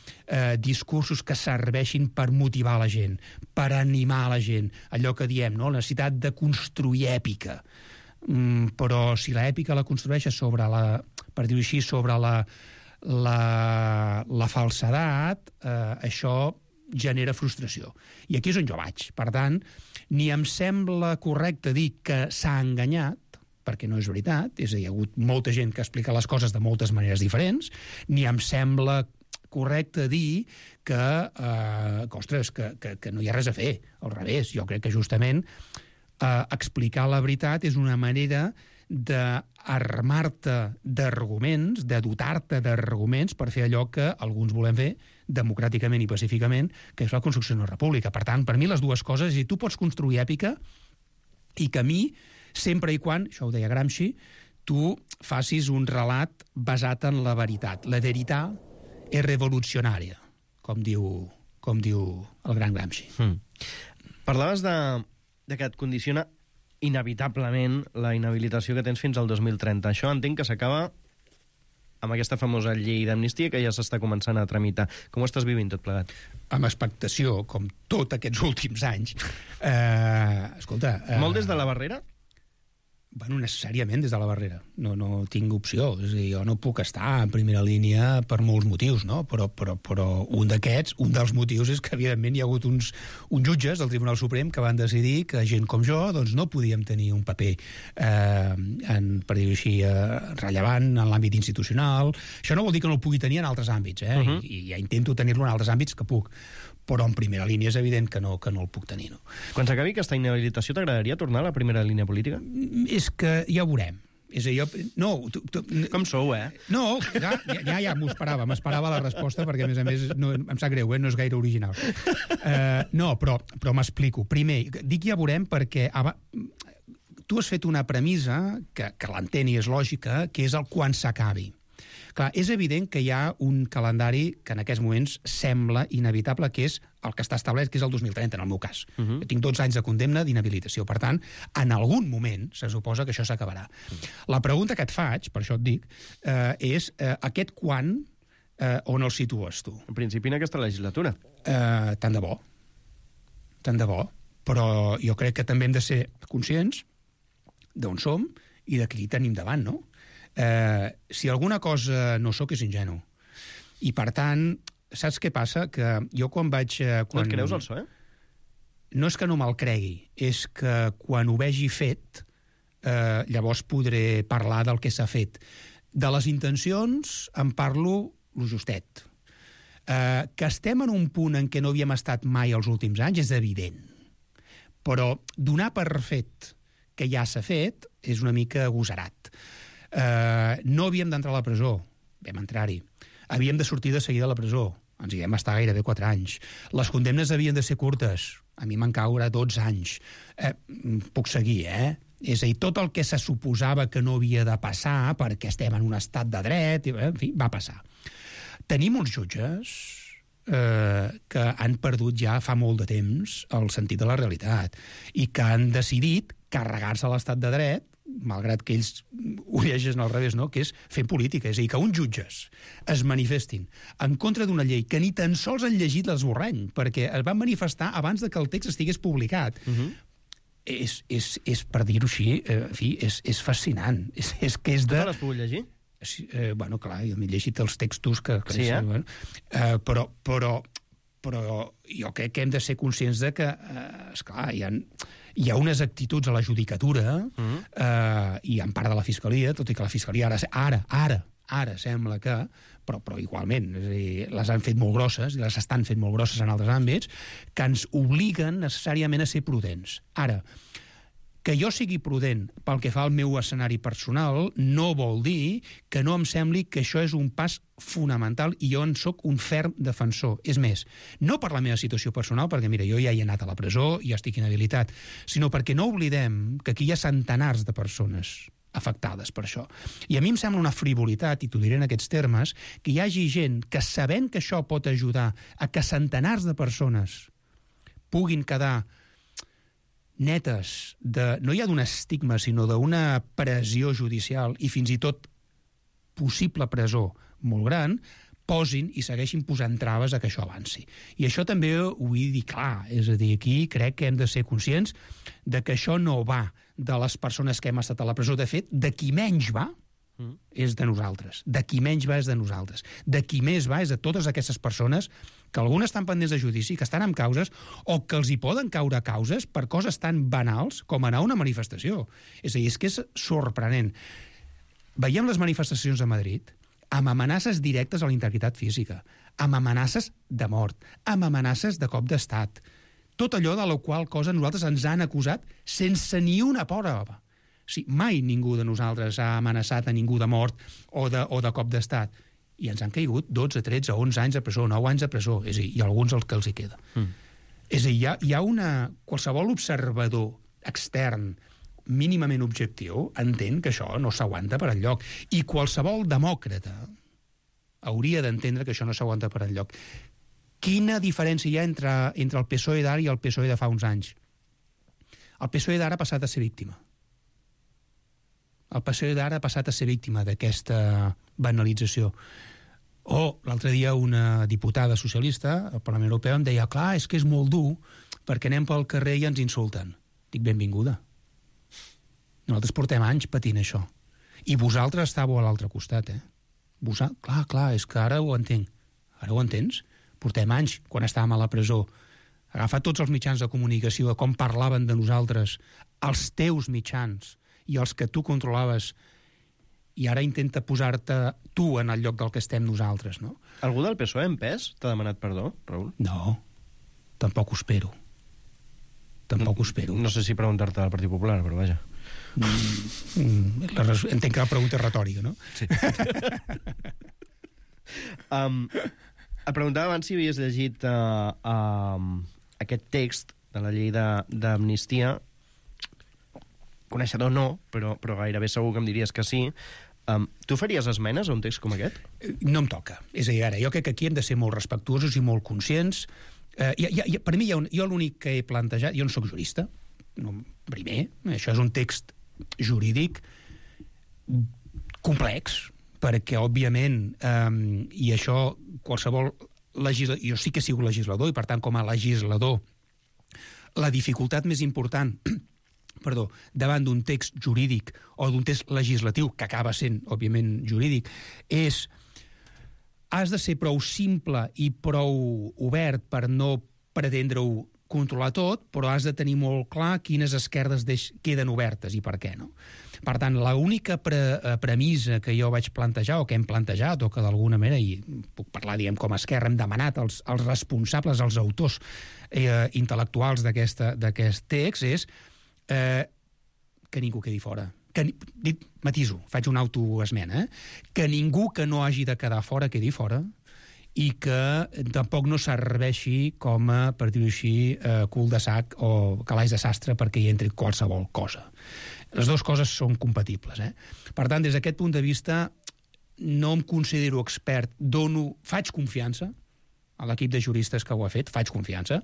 discursos que serveixin per motivar la gent, per animar la gent, allò que diem, no? La necessitat de construir èpica. Però si l'èpica la construeixes sobre per dir-ho així, sobre la falsedat, això genera frustració. I aquí és on jo vaig. Per tant, ni em sembla correcte dir que s'ha enganyat, perquè no és veritat, és a dir, hi ha hagut molta gent que explica les coses de moltes maneres diferents, ni em sembla correcte dir que no hi ha res a fer. Al revés, jo crec que justament explicar la veritat és una manera d'armar-te d'arguments, de dotar-te d'arguments per fer allò que alguns volem fer democràticament i pacíficament, que és la construcció d'una república. Per tant, per mi les dues coses, és dir, tu pots construir èpica i que a mi, sempre i quan, això ho deia Gramsci, tu facis un relat basat en la veritat. La veritat és revolucionària, com diu el gran Gramsci. Parlaves de que et condiciona inevitablement la inhabilitació que tens fins al 2030. Això entenc que s'acaba amb aquesta famosa llei d'amnistia que ja s'està començant a tramitar. Com ho estàs vivint tot plegat? Amb expectació, com tots aquests últims anys. Escolta... Molt des de la barrera? Bueno, necessàriament des de la barrera. No tinc opció. És a dir, jo no puc estar en primera línia per molts motius, no? Però un dels motius és que, evidentment, hi ha hagut uns jutges del Tribunal Suprem que van decidir que gent com jo doncs, no podíem tenir un paper, per dir-ho així, rellevant en l'àmbit institucional. Això no vol dir que no el pugui tenir en altres àmbits, I ja intento tenir-lo en altres àmbits que puc. Però en primera línia és evident que no el puc tenir. No? Quan s'acabi aquesta inhabilitació, t'agradaria tornar a la primera línia política? És que ja ho veurem. És a dir, com sou, No, ja m'esperava la resposta, perquè, a més, no, em sap greu, no és gaire original. No, però m'explico. Primer, dic ja veurem perquè tu has fet una premissa que l'entén i és lògica, que és el quan s'acabi. Clar, és evident que hi ha un calendari que en aquests moments sembla inevitable, que és el que està establert, que és el 2030, en el meu cas. Jo tinc 12 anys de condemna d'inhabilitació. Per tant, en algun moment se suposa que això s'acabarà. La pregunta que et faig, per això et dic, és aquest quan, on el situes tu? En principi en aquesta legislatura. Tant de bo. Però jo crec que també hem de ser conscients d'on som i de qui tenim davant, no? Si alguna cosa no sóc, és ingenu. I, per tant, saps què passa? Que jo quan vaig... No et creus el PSOE? No és que no me'l cregui, és que quan ho vegi fet, llavors podré parlar del que s'ha fet. De les intencions en parlo lo justet. Que estem en un punt en què no havíem estat mai els últims anys és evident. Però donar per fet que ja s'ha fet és una mica agosarat. No havíem d'entrar a la presó, vam entrar-hi. Havíem de sortir de seguida a la presó, ens hi vam estar gairebé 4 anys. Les condemnes havien de ser curtes, a mi m'han caure 12 anys. Puc seguir, És a dir, tot el que se suposava que no havia de passar perquè estem en un estat de dret, en fi, va passar. Tenim uns jutges que han perdut ja fa molt de temps el sentit de la realitat i que han decidit carregar-se l'estat de dret, malgrat que ells ho llegeixen al revés, no? Que és fer política. És a dir, que uns jutges es manifestin en contra d'una llei que ni tan sols han llegit l'esborrany, perquè es van manifestar abans de que el text estigués publicat. És per dir-ho així, en fi, és fascinant. És que és de... Tu l'has pogut llegir? Bueno, clar, jo m'he llegit els textos que... Sí, bueno, però jo crec que hem de ser conscients de que, esclar, hi ha unes actituds a la judicatura i en part de la Fiscalia, tot i que la Fiscalia ara sembla que, però igualment, és a dir, les han fet molt grosses i les estan fent molt grosses en altres àmbits, que ens obliguen necessàriament a ser prudents. Ara, que jo sigui prudent pel que fa al meu escenari personal no vol dir que no em sembli que això és un pas fonamental i jo en soc un ferm defensor. És més, no per la meva situació personal, perquè mira, jo ja he anat a la presó i ja estic inhabilitat, sinó perquè no oblidem que aquí hi ha centenars de persones afectades per això. I a mi em sembla una frivolitat, i t'ho diré en aquests termes, que hi hagi gent que, sabent que això pot ajudar a que centenars de persones puguin quedar netes, no ja d'un estigma, sinó d'una pressió judicial i fins i tot possible presó molt gran, posin i segueixin posant traves a que això avanci. I això també ho vull dir clar, és a dir, aquí crec que hem de ser conscients de que això no va de les persones que hem estat a la presó. De fet, de qui menys va és de nosaltres. De qui menys va és de nosaltres. De qui més va és de totes aquestes persones que algunes estan pendents de judici, que estan amb causes, o que els hi poden caure causes per coses tan banals com anar a una manifestació. És a dir, és que és sorprenent. Veiem les manifestacions a Madrid amb amenaces directes a la integritat física, amb amenaces de mort, amb amenaces de cop d'estat. Tot allò de la qual cosa nosaltres ens han acusat sense ni una prova. O sigui, mai ningú de nosaltres ha amenaçat a ningú de mort o de cop d'estat. I ens han caigut 12, 13, 11 anys de presó, 9 anys de presó, és a dir, i alguns el que els hi queda. És a dir, hi ha qualsevol observador extern mínimament objectiu entén que això no s'aguanta per enlloc. I qualsevol demòcrata hauria d'entendre que això no s'aguanta per enlloc. Quina diferència hi ha entre el PSOE d'ara i el PSOE de fa uns anys? El PSOE d'ara ha passat a ser víctima. El PSOE d'ara ha passat a ser víctima d'aquesta banalització. L'altre dia una diputada socialista al Parlament Europeu em deia, clar, és que és molt dur perquè anem pel carrer i ens insulten. Dic, benvinguda. Nosaltres portem anys patint això. I vosaltres estàveu a l'altre costat, Clar, és que ara ho entenc. Ara ho entens? Portem anys, quan estàvem a la presó, agafar tots els mitjans de comunicació de com parlaven de nosaltres, els teus mitjans, i els que tu controlaves, i ara intenta posar-te tu en el lloc del que estem nosaltres, no? Algú del PSOE en pes t'ha demanat perdó, Raül? No, tampoc ho espero. No sé si preguntar-te al Partit Popular, però vaja. Entenc que la pregunta és retòrica, no? Sí. Et preguntava abans si havies llegit aquest text de la llei d'amnistia. Coneixedor no, però gairebé segur que em diries que sí. Tu faries esmenes a un text com aquest? No em toca. És a dir, ara, jo crec que aquí hem de ser molt respectuosos i molt conscients. Per mi, jo l'únic que he plantejat... Jo no soc jurista, primer. Això és un text jurídic complex, perquè, òbviament, i això qualsevol legislador... Jo sí que he sigut legislador, i per tant, com a legislador, la dificultat més important davant d'un text jurídic o d'un text legislatiu, que acaba sent, òbviament, jurídic, has de ser prou simple i prou obert per no pretendre-ho controlar tot, però has de tenir molt clar quines esquerdes queden obertes i per què, no? Per tant, l'única premissa que jo vaig plantejar, o que hem plantejat, o que d'alguna manera, i puc parlar, diguem, com a Esquerra, hem demanat als responsables, als autors intel·lectuals d'aquest text, és que ningú quedi fora. Matiso, faig una autoesmena, que ningú que no hagi de quedar fora quedi fora, i que tampoc no serveixi com a, per dir-ho així, cul de sac o calaix de sastre perquè hi entri qualsevol cosa. Les dues coses són compatibles. Per tant, des d'aquest punt de vista, no em considero expert, faig confiança a l'equip de juristes que ho ha fet, faig confiança,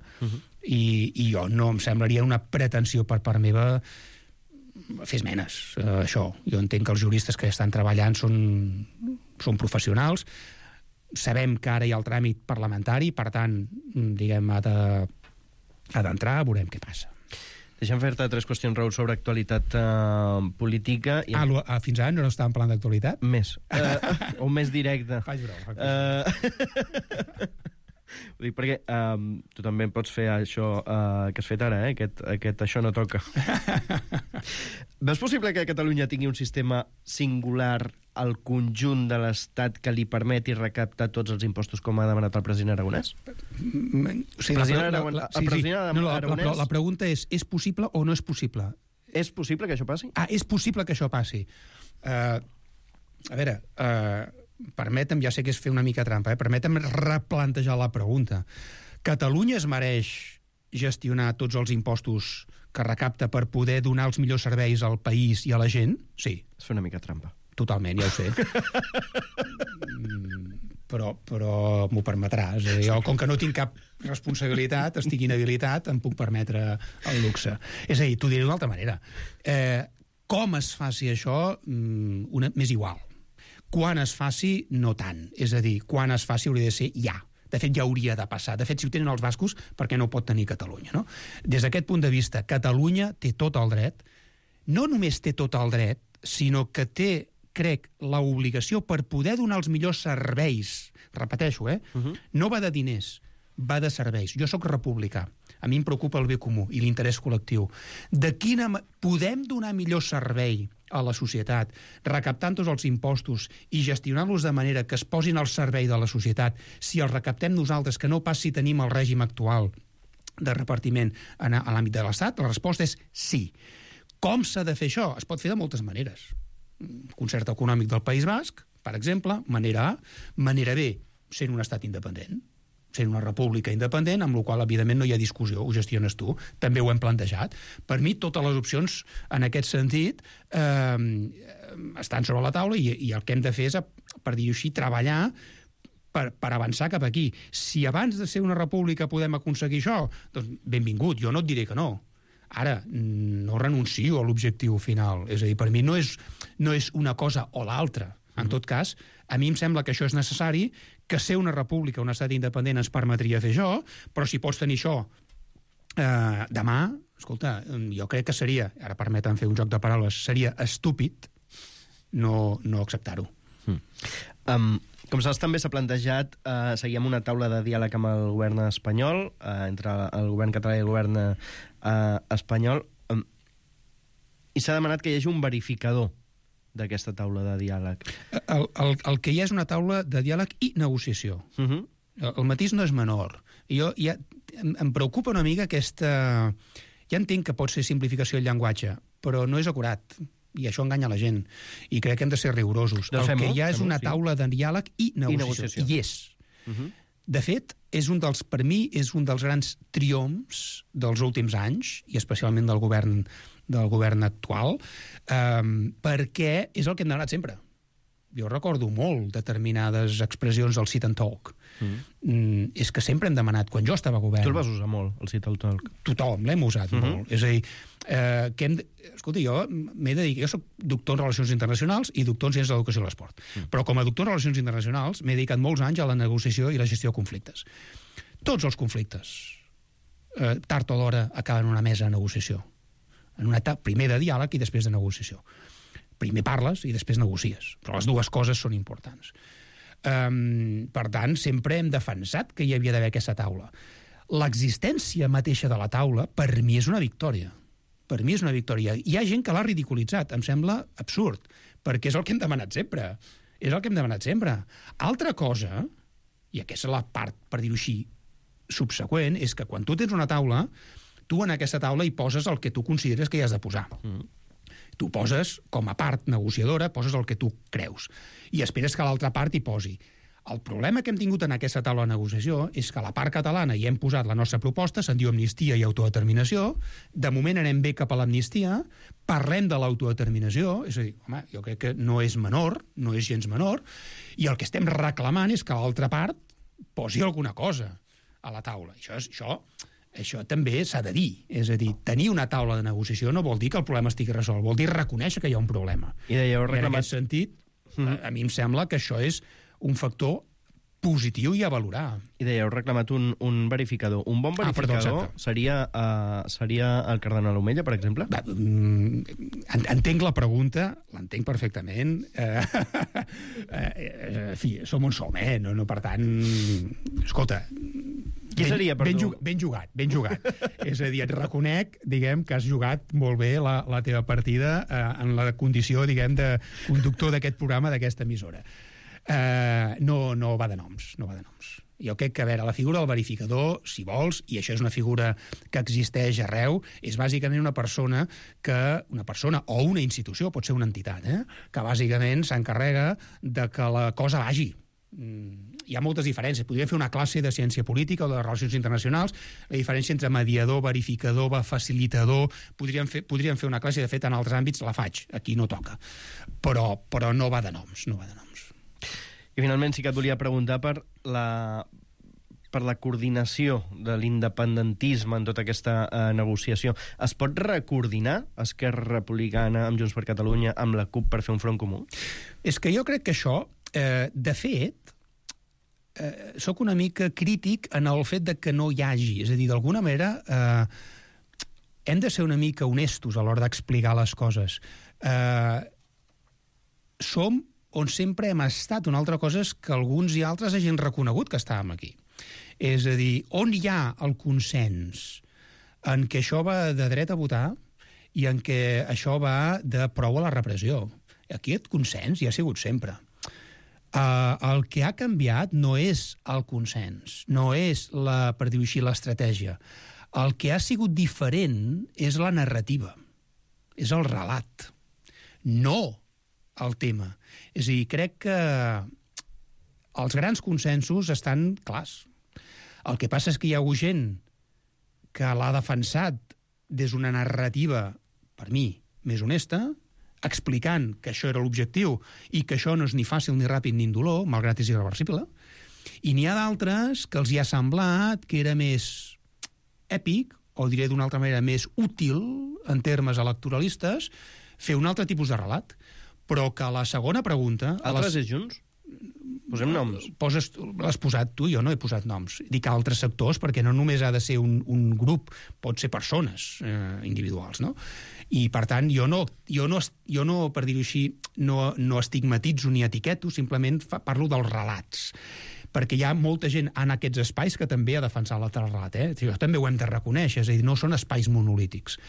i jo no em semblaria una pretensió per part meva fer esmenes, això. Jo entenc que els juristes que estan treballant són professionals, sabem que ara hi ha el tràmit parlamentari, per tant, diguem, ha d'entrar, veurem què passa. Deixa'm fer-te 3 qüestions, Raül, sobre actualitat política. Fins ara no estàvem parlant d'actualitat? Més. O més directe. Faig broma. Ho dic perquè tu també pots fer això que has fet ara, aquest això no toca. Veus possible que Catalunya tingui un sistema singular al conjunt de l'Estat que li permeti recaptar tots els impostos com ha demanat el president Aragonès? La pregunta és possible o no és possible? És possible que això passi? És possible que això passi. A veure, permetem, ja sé que és fer una mica trampa, permetem replantejar la pregunta. Catalunya es mereix gestionar tots els impostos que recapta per poder donar els millors serveis al país i a la gent? Sí. És fer una mica trampa. Totalment, ja ho sé. Però m'ho permetràs. Jo, com que no tinc cap responsabilitat, estic inhabilitat, em puc permetre el luxe. És a dir, t'ho diré d'una altra manera. Com es faci això, m'és igual. Quan es faci, no tant. És a dir, quan es faci hauria de ser ja. De fet, ja hauria de passar. De fet, si ho tenen els bascos, per què no ho pot tenir Catalunya, no? Des d'aquest punt de vista, Catalunya té tot el dret, no només té tot el dret, sinó que té, crec, l'obligació per poder donar els millors serveis. Repeteixo, no va de diners, va de serveis. Jo sóc republicà. A mi em preocupa el bé comú i l'interès col·lectiu. De quina podem donar millor servei a la societat, recaptant tots els impostos i gestionant-los de manera que es posin al servei de la societat, si els recaptem nosaltres, que no pas si tenim el règim actual de repartiment a l'àmbit de l'Estat? La resposta és sí. Com s'ha de fer això? Es pot fer de moltes maneres. Concert econòmic del País Basc, per exemple, manera A. Manera B, sent un estat independent, sent una república independent, amb la qual, evidentment, no hi ha discussió, ho gestiones tu. També ho hem plantejat. Per mi, totes les opcions, en aquest sentit, estan sobre la taula i el que hem de fer és, per dir-ho així, treballar per avançar cap aquí. Si abans de ser una república podem aconseguir això, doncs benvingut, jo no et diré que no. Ara, no renuncio a l'objectiu final. És a dir, per mi no és una cosa o l'altra. En tot cas, a mi em sembla que això és necessari, que ser una república, un estat independent ens permetria fer això, però si pots tenir això demà, escolta, jo crec que seria, ara permeten fer un joc de paraules, seria estúpid no acceptar-ho. Com saps, també s'ha plantejat seguir amb una taula de diàleg amb el govern espanyol, entre el govern català i el govern espanyol, i s'ha demanat que hi hagi un verificador d'aquesta taula de diàleg. El que hi ha és una taula de diàleg i negociació. El matís no és menor. Em preocupa una mica aquesta... Ja entenc que pot ser simplificació del llenguatge, però no és acurat. I això enganya la gent. I crec que hem de ser rigorosos. El que hi ha és una taula de diàleg i negociació. I és. De fet, per mi, és un dels grans triomfs dels últims anys, i especialment del govern actual, perquè és el que hem demanat sempre. Jo recordo molt determinades expressions del sit and talk. És que sempre hem demanat, quan jo estava a govern... Tu el vas usar molt, el sit and talk. Tothom l'hem usat molt. És a dir, escolta, jo m'he dedicat... Jo soc doctor en Relacions Internacionals i doctor en Ciències de l'Educació i l'Esport. Però com a doctor en Relacions Internacionals m'he dedicat molts anys a la negociació i la gestió de conflictes. Tots els conflictes, tard o d'hora, acaben en una mesa de negociació. primer de diàleg i després de negociació. Primer parles i després negocies, però les dues coses són importants. Per tant, sempre hem defensat que hi havia d'haver aquesta taula. L'existència mateixa de la taula, per mi, és una victòria. Per mi és una victòria. Hi ha gent que l'ha ridiculitzat, em sembla absurd, perquè és el que hem demanat sempre. És el que hem demanat sempre. Altra cosa, i aquesta és la part, per dir-ho així, subseqüent, és que quan tu tens una taula, tu en aquesta taula hi poses el que tu consideres que hi has de posar. Tu poses, com a part negociadora, poses el que tu creus. I esperes que l'altra part hi posi. El problema que hem tingut en aquesta taula de negociació és que a la part catalana hi hem posat la nostra proposta, se'n diu amnistia i autodeterminació, de moment anem bé cap a l'amnistia, parlem de l'autodeterminació, és a dir, home, jo crec que no és menor, no és gens menor, i el que estem reclamant és que l'altra part posi alguna cosa a la taula. Això també s'ha de dir. És a dir, tenir una taula de negociació no vol dir que el problema estigui resolt, vol dir reconèixer que hi ha un problema. I en aquest sentit, a mi em sembla que això és un factor positiu i a valorar. I dèieu, reclamat un verificador. Un bon verificador seria el cardenal Omella, per exemple? Entenc la pregunta, l'entenc perfectament. En fi, som on som, no? Per tant, escolta, qui seria, perdó? Ben jugat. És a dir, et reconec, diguem, que has jugat molt bé la teva partida en la condició, diguem, de conductor d'aquest programa, d'aquesta emissora. No va de noms. Jo crec que, a veure, la figura del verificador, si vols, i això és una figura que existeix arreu, és bàsicament una persona o una institució, pot ser una entitat, que bàsicament s'encarrega de que la cosa vagi. Hi ha moltes diferències. Podríem fer una classe de ciència política o de relacions internacionals, la diferència entre mediador, verificador, facilitador, podríem fer una classe, de fet, en altres àmbits la faig, aquí no toca. Però no va de noms. I finalment sí que et volia preguntar per la coordinació de l'independentisme en tota aquesta negociació. Es pot recoordinar Esquerra Republicana amb Junts per Catalunya amb la CUP per fer un front comú? És que jo crec que això, de fet, sóc una mica crític en el fet de que no hi hagi. És a dir, d'alguna manera, hem de ser una mica honestos a l'hora d'explicar les coses. Som on sempre hem estat. Una altra cosa és que alguns i altres hagin reconegut que estàvem aquí. És a dir, on hi ha el consens en què això va de dret a votar i en què això va de prou a la repressió. Aquest consens hi ha sigut sempre. El que ha canviat no és el consens, no és, per dir-ho així, l'estratègia. El que ha sigut diferent és la narrativa, és el relat, no el tema. És a dir, crec que els grans consensos estan clars. El que passa és que hi ha hagut gent que l'ha defensat des d'una narrativa, per mi, més honesta, explicant que això era l'objectiu i que això no és ni fàcil, ni ràpid, ni indolor, malgrat és irreversible, i n'hi ha d'altres que els hi ha semblat que era més èpic, o diré d'una altra manera, més útil, en termes electoralistes, fer un altre tipus de relat. Però que la segona pregunta... Altres és Junts? Posem noms. L'has posat tu, jo no he posat noms. Dic altres sectors, perquè no només ha de ser un grup, pot ser persones individuals, no? I, per tant, jo no per dir-ho així, no estigmatitzo ni etiqueto, simplement parlo dels relats. Perquè hi ha molta gent en aquests espais que també ha defensat l'altre relat. Això també ho hem de reconèixer, és a dir, no són espais monolítics.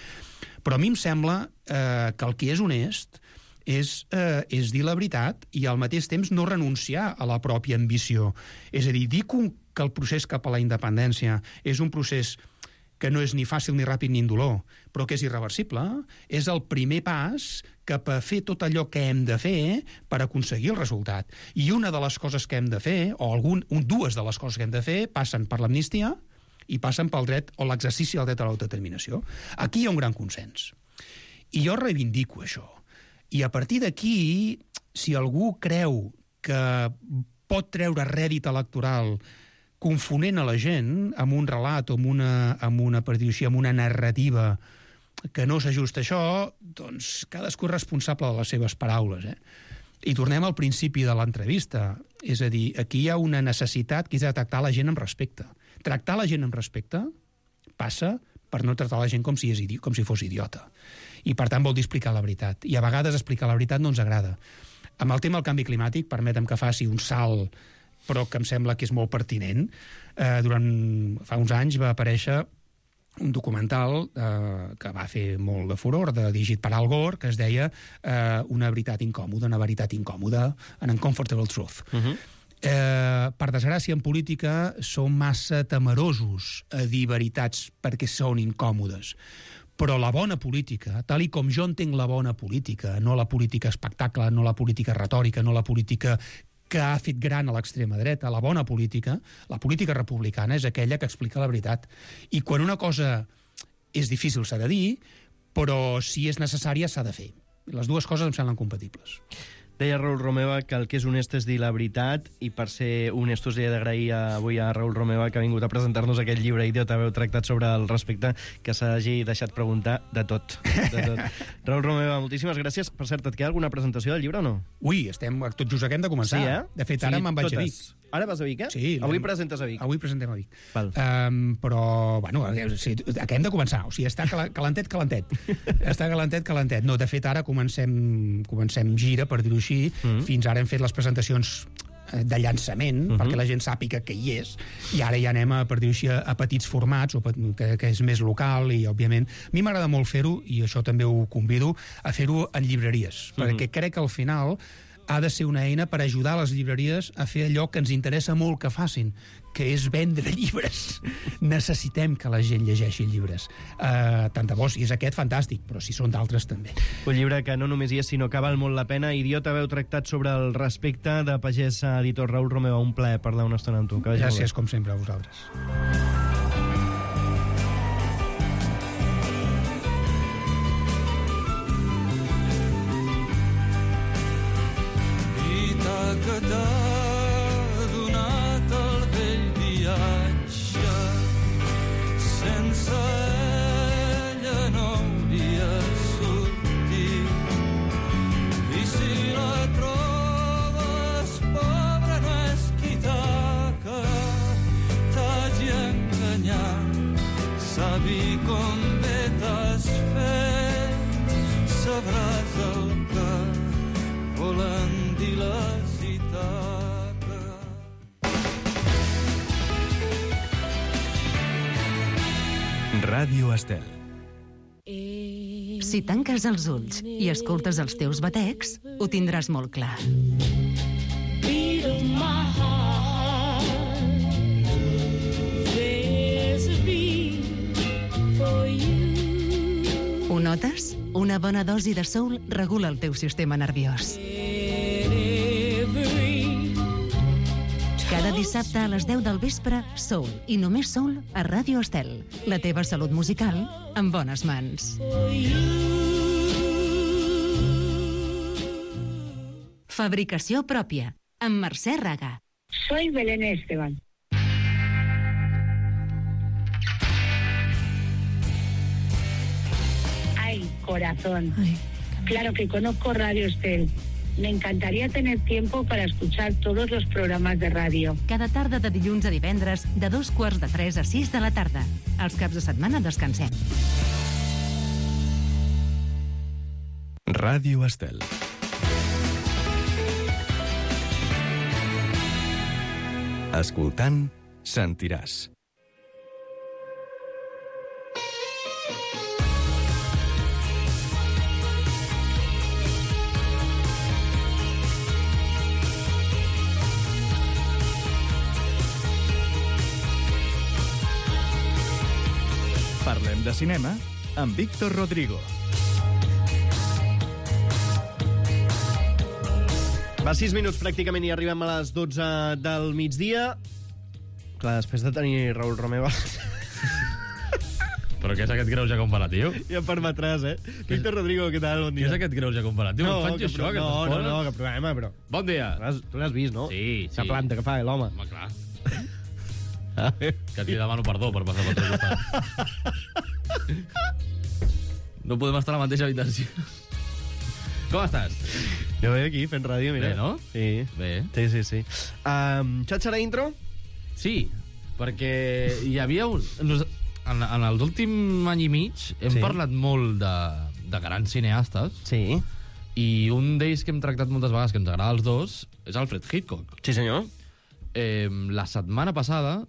Però a mi em sembla que el que és honest és dir la veritat i al mateix temps no renunciar a la pròpia ambició. És a dir que el procés cap a la independència és un procés que no és ni fàcil, ni ràpid, ni indolor, però que és irreversible, és el primer pas cap a fer tot allò que hem de fer per aconseguir el resultat. I una de les coses que hem de fer, o dues de les coses que hem de fer, passen per l'amnistia i passen pel dret o l'exercici del dret a l'autodeterminació. Aquí hi ha un gran consens. I jo reivindico això. I a partir d'aquí, si algú creu que pot treure rèdit electoral confonent a la gent amb un relat o amb una narrativa que no s'ajusta a això, doncs cadascú és responsable de les seves paraules. I tornem al principi de l'entrevista. És a dir, aquí hi ha una necessitat que és de tractar la gent amb respecte. Tractar la gent amb respecte passa per no tractar la gent com si fos idiota. I, per tant, vol dir explicar la veritat. I a vegades explicar la veritat no ens agrada. Amb el tema del canvi climàtic, permetem que faci un salt, però que em sembla que és molt pertinent. Fa uns anys va aparèixer un documental que va fer molt de furor, dirigit per Al Gore, que es deia Una veritat incòmoda, an uncomfortable truth. Per desgràcia, en política som massa temerosos a dir veritats perquè són incòmodes. Però la bona política, tal i com jo entenc la bona política, no la política espectacle, no la política retòrica, no la política que ha fet gran a l'extrema dreta, la bona política, la política republicana, és aquella que explica la veritat. I quan una cosa és difícil s'ha de dir, però si és necessària s'ha de fer. Les dues coses em semblen compatibles. Deia Raül Romeva que el que és honest és dir la veritat, i per ser honestos li he d'agrair avui a Raül Romeva que ha vingut a presentar-nos aquest llibre Idiota veu tractat sobre el respecte, que s'hagi deixat preguntar de tot. Raül Romeva, moltíssimes gràcies. Per cert, et queda alguna presentació del llibre o no? Ui, tot just acabem de començar. Sí, De fet, ara me'n vaig a Vic. Ara vas a Vic, eh? Sí. Avui presentes a Vic. Avui presentem a Vic. Val. Però, bueno, acabem de començar. O sigui, està calentet. Està calentet. No, de fet, ara comencem gira, per dir-ho així. Fins ara hem fet les presentacions de llançament, perquè la gent sàpiga que hi és, i ara ja anem per dir-ho així, a petits formats, que és més local, i, òbviament, a mi m'agrada molt fer-ho, i això també ho convido, a fer-ho en llibreries, perquè crec que al final ha de ser una eina per ajudar les llibreries a fer allò que ens interessa molt que facin, que és vendre llibres. Necessitem que la gent llegeixi llibres. Tant de bo, si és aquest, fantàstic, però si són d'altres, també. Un llibre que no només hi és, sinó que val molt la pena. Idiota veu tractat sobre el respecte, de pagès a editor Raül Romeva. Un plaer parlar una estona amb tu. Gràcies, com sempre, a vosaltres. Que t'ha donat el vell viatge, sense ella no hauria sortit. I si la trobes pobra no és qui que t'hagi enganyat. Sabi com bé t'has fet, sabràs el que volen dir les Ràdio Estel. Si tanques els ulls i escoltes els teus batecs, ho tindràs molt clar. Ho notes? Una bona dosi de soul regula el teu sistema nerviós. Cada dissabte a les 10 del vespre, Soul, i només Soul, a Ràdio Estel. La teva salut musical en bones mans. Fabricació pròpia, amb Mercè Raga. Soy Belén Esteban. Ay, corazón. Ay. Claro que conozco Radio Estel. Me encantaría tener tiempo para escuchar todos los programas de ràdio. Cada tarda de dilluns a divendres, de 2:45 a 6 de la tarda. Els caps de setmana descansem. Ràdio Estel. Escoltant, sentiràs. Parlem de cinema amb Víctor Rodrigo. Va, 6 minuts pràcticament i arribem a les 12 del migdia. Clar, després de tenir Raül Romeva... Però què és aquest greuge comparatiu? Ja em permetràs, eh? Víctor Rodrigo, què tal? Bon dia. Què és aquest greuge comparatiu? No, faig això, no, que problema, però... Bon dia. Tu l'has vist, no? Sí. La planta que fa, l'home. Home, clar. Que et demano perdó per passar pel teu costat. No podem estar a la mateixa habitació. Com estàs? Jo veig aquí fent ràdio, mira. Bé, no? Sí. Bé. Sí. Xatxa la intro? Sí, perquè hi havia un... en l'últim any i mig hem parlat molt de grans cineastes. Sí. I un d'ells que hem tractat moltes vegades, que ens agrada als dos, és Alfred Hitchcock. Sí, senyor. La setmana passada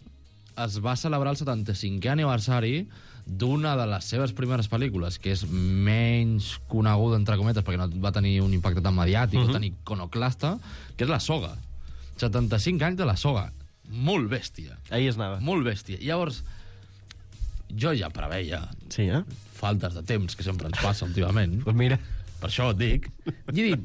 es va celebrar el 75è aniversari d'una de les seves primeres pel·lícules, que és menys coneguda, entre cometes, perquè no va tenir un impacte tan mediàtic o tan iconoclasta, que és La Soga. 75 anys de La Soga. Molt bèstia. Ahí es anava. Molt bèstia. Llavors, jo ja preveia faltes de temps que sempre ens passa últimament. Pues mira. Per això et dic. I he dit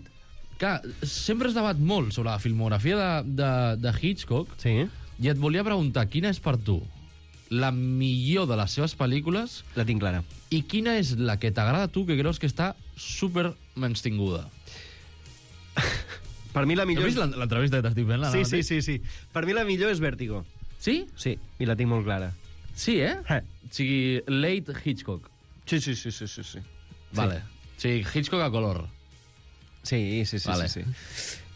que sempre es debat molt sobre la filmografia de Hitchcock i et volia preguntar quina és per tu la millor de les seves pel·lícules. La tinc clara. I quina és la que t'agrada a tu, que creus que està super menystinguda? Per mi la millor... Has vist l'entrevista que t'estic fent? Sí. Per mi la millor és Vértigo. Sí? Sí, i la tinc molt clara. Sí, eh? O sigui, late Hitchcock. Sí. Vale. O sigui, Hitchcock a color. Sí. Vale. Sí.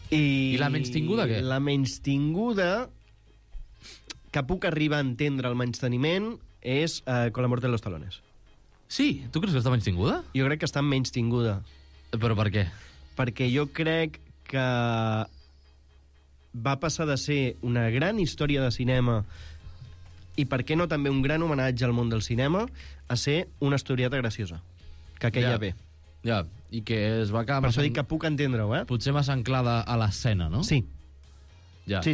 I la menystinguda, què? La menystinguda, que puc arribar a entendre el menysteniment, és Con la muerte de los talones. Sí? Tu creus que està menystinguda? Jo crec que està menystinguda. Però per què? Perquè jo crec que va passar de ser una gran història de cinema i, per què no, també un gran homenatge al món del cinema, a ser una historieta graciosa, que queia bé. Ja, i que es va quedar... Per això dic que puc entendre-ho, Potser massa anclada a l'escena, no? Sí. Ja. Sí.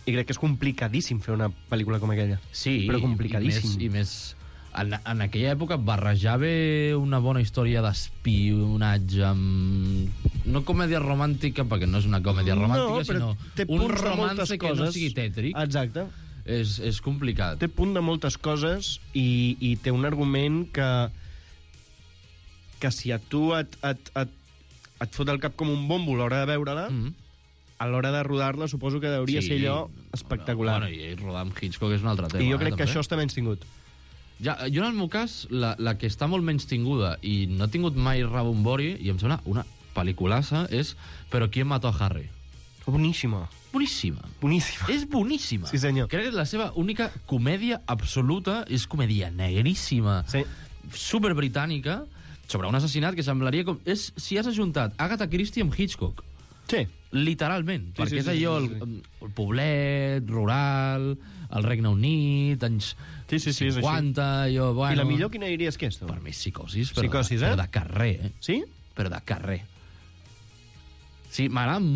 I crec que és complicadíssim fer una pel·lícula com aquella. Sí, però complicadíssim. I més en aquella època barrejar bé una bona història d'espionatge amb... No comèdia romàntica, perquè no és una comèdia romàntica, sinó un romance que no sigui tètric. Exacte. És complicat. Té punt de moltes coses i té un argument que si a tu et fot el cap com un bombo a l'hora de veure-la, a l'hora de rodar-la suposo que hauria ser allò espectacular. Bueno, i rodar amb Hitchcock és un altre tema. I jo crec que això està menys tingut. Ja, jo, en el meu cas, la que està molt menys tinguda i no ha tingut mai rebombori, i em sembla una pel·liculassa, és Però ¿quién mató a Harry? Boníssima. Boníssima. És boníssima. Sí, senyor. Crec que és la seva única comèdia absoluta, és comèdia negríssima, super britànica, sobre un assassinat que semblaria com... És si has ajuntat Agatha Christie amb Hitchcock. Sí. Literalment, perquè és allò, el poblet, rural, el Regne Unit, anys 50, allò, bueno... I la millor quina diries que és? Per mi és Psicosis, però de carrer, Sí? Però de carrer. Sí, m'agraden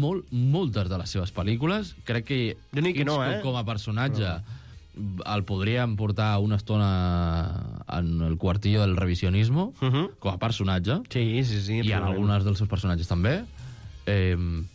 moltes de les seves pel·lícules. Crec que Hitchcock com a personatge el podríem portar una estona en el quartillo del revisionismo, com a personatge. Sí. I en algunes dels seus personatges també.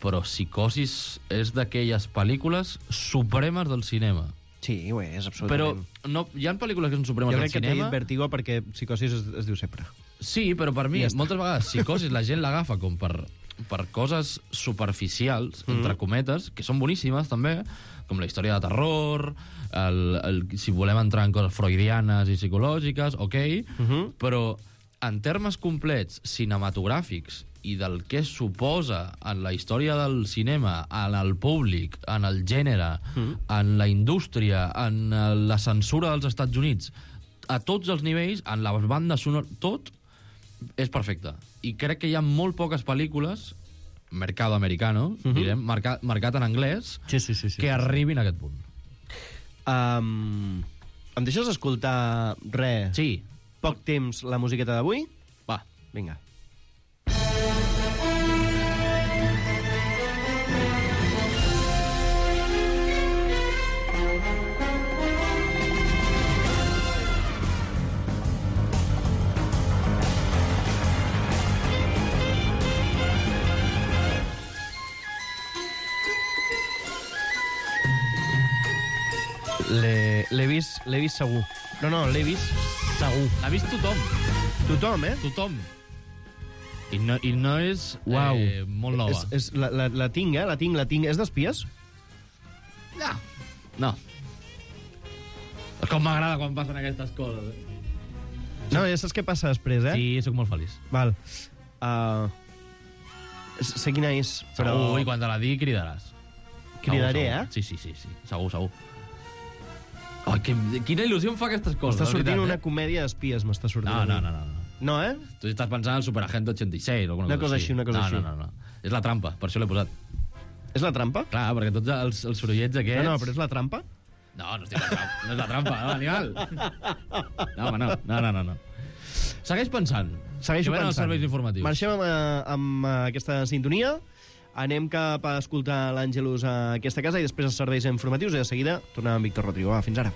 Però Psicosis és d'aquelles pel·lícules supremes del cinema. Sí, ho és, absolutament. Però hi ha pel·lícules que són supremes del cinema... Jo crec que t'he dit Vertigo perquè Psicosis es diu sempre. Sí, però per mi, moltes vegades, Psicosis la gent l'agafa com per coses superficials, entre cometes, que són boníssimes, també, com la història de terror, si volem entrar en coses freudianes i psicològiques, però en termes complets cinematogràfics i del que suposa en la història del cinema, en el públic, en el gènere, en la indústria, en la censura dels Estats Units, a tots els nivells, en la banda sonora, tot és perfecte. I crec que hi ha molt poques pel·lícules, mercado americano, direm, marcat en anglès, que arribin a aquest punt. Em deixes escoltar res? Sí. Poc temps, la musiqueta d'avui? Va. Vinga. L'he vist segur. No, l'he vist segur. L'ha vist tothom. Tothom, Tothom. I no és molt nova. La tinc, la tinc. És d'espies? No. Com m'agrada quan passen aquestes coses. No, ja saps què passa després, Sí, sóc molt feliç. Val. Sé quina és, però... Segur, i quan te la digui cridaràs. Cridaré, Sí. Segur. Oh, quina il·lusió em fa aquestes coses. M'està sortint una comèdia d'espies, m'està sortint. No. No, eh? Tu estàs pensant en Superagente 86 o alguna cosa així. Una cosa així. No. És la trampa, per això l'he posat. És la trampa? Clar, perquè tots els sorollets aquests... No, però és la trampa? No és la trampa, no, animal. No, home, no. Segueix pensant. Segueixo pensant. Els serveis informatius. Marxem amb aquesta sintonia, anem cap a escoltar l'Àngelus a aquesta casa i després els serveis informatius i de seguida tornem amb Víctor Rodrigo. Va, fins ara.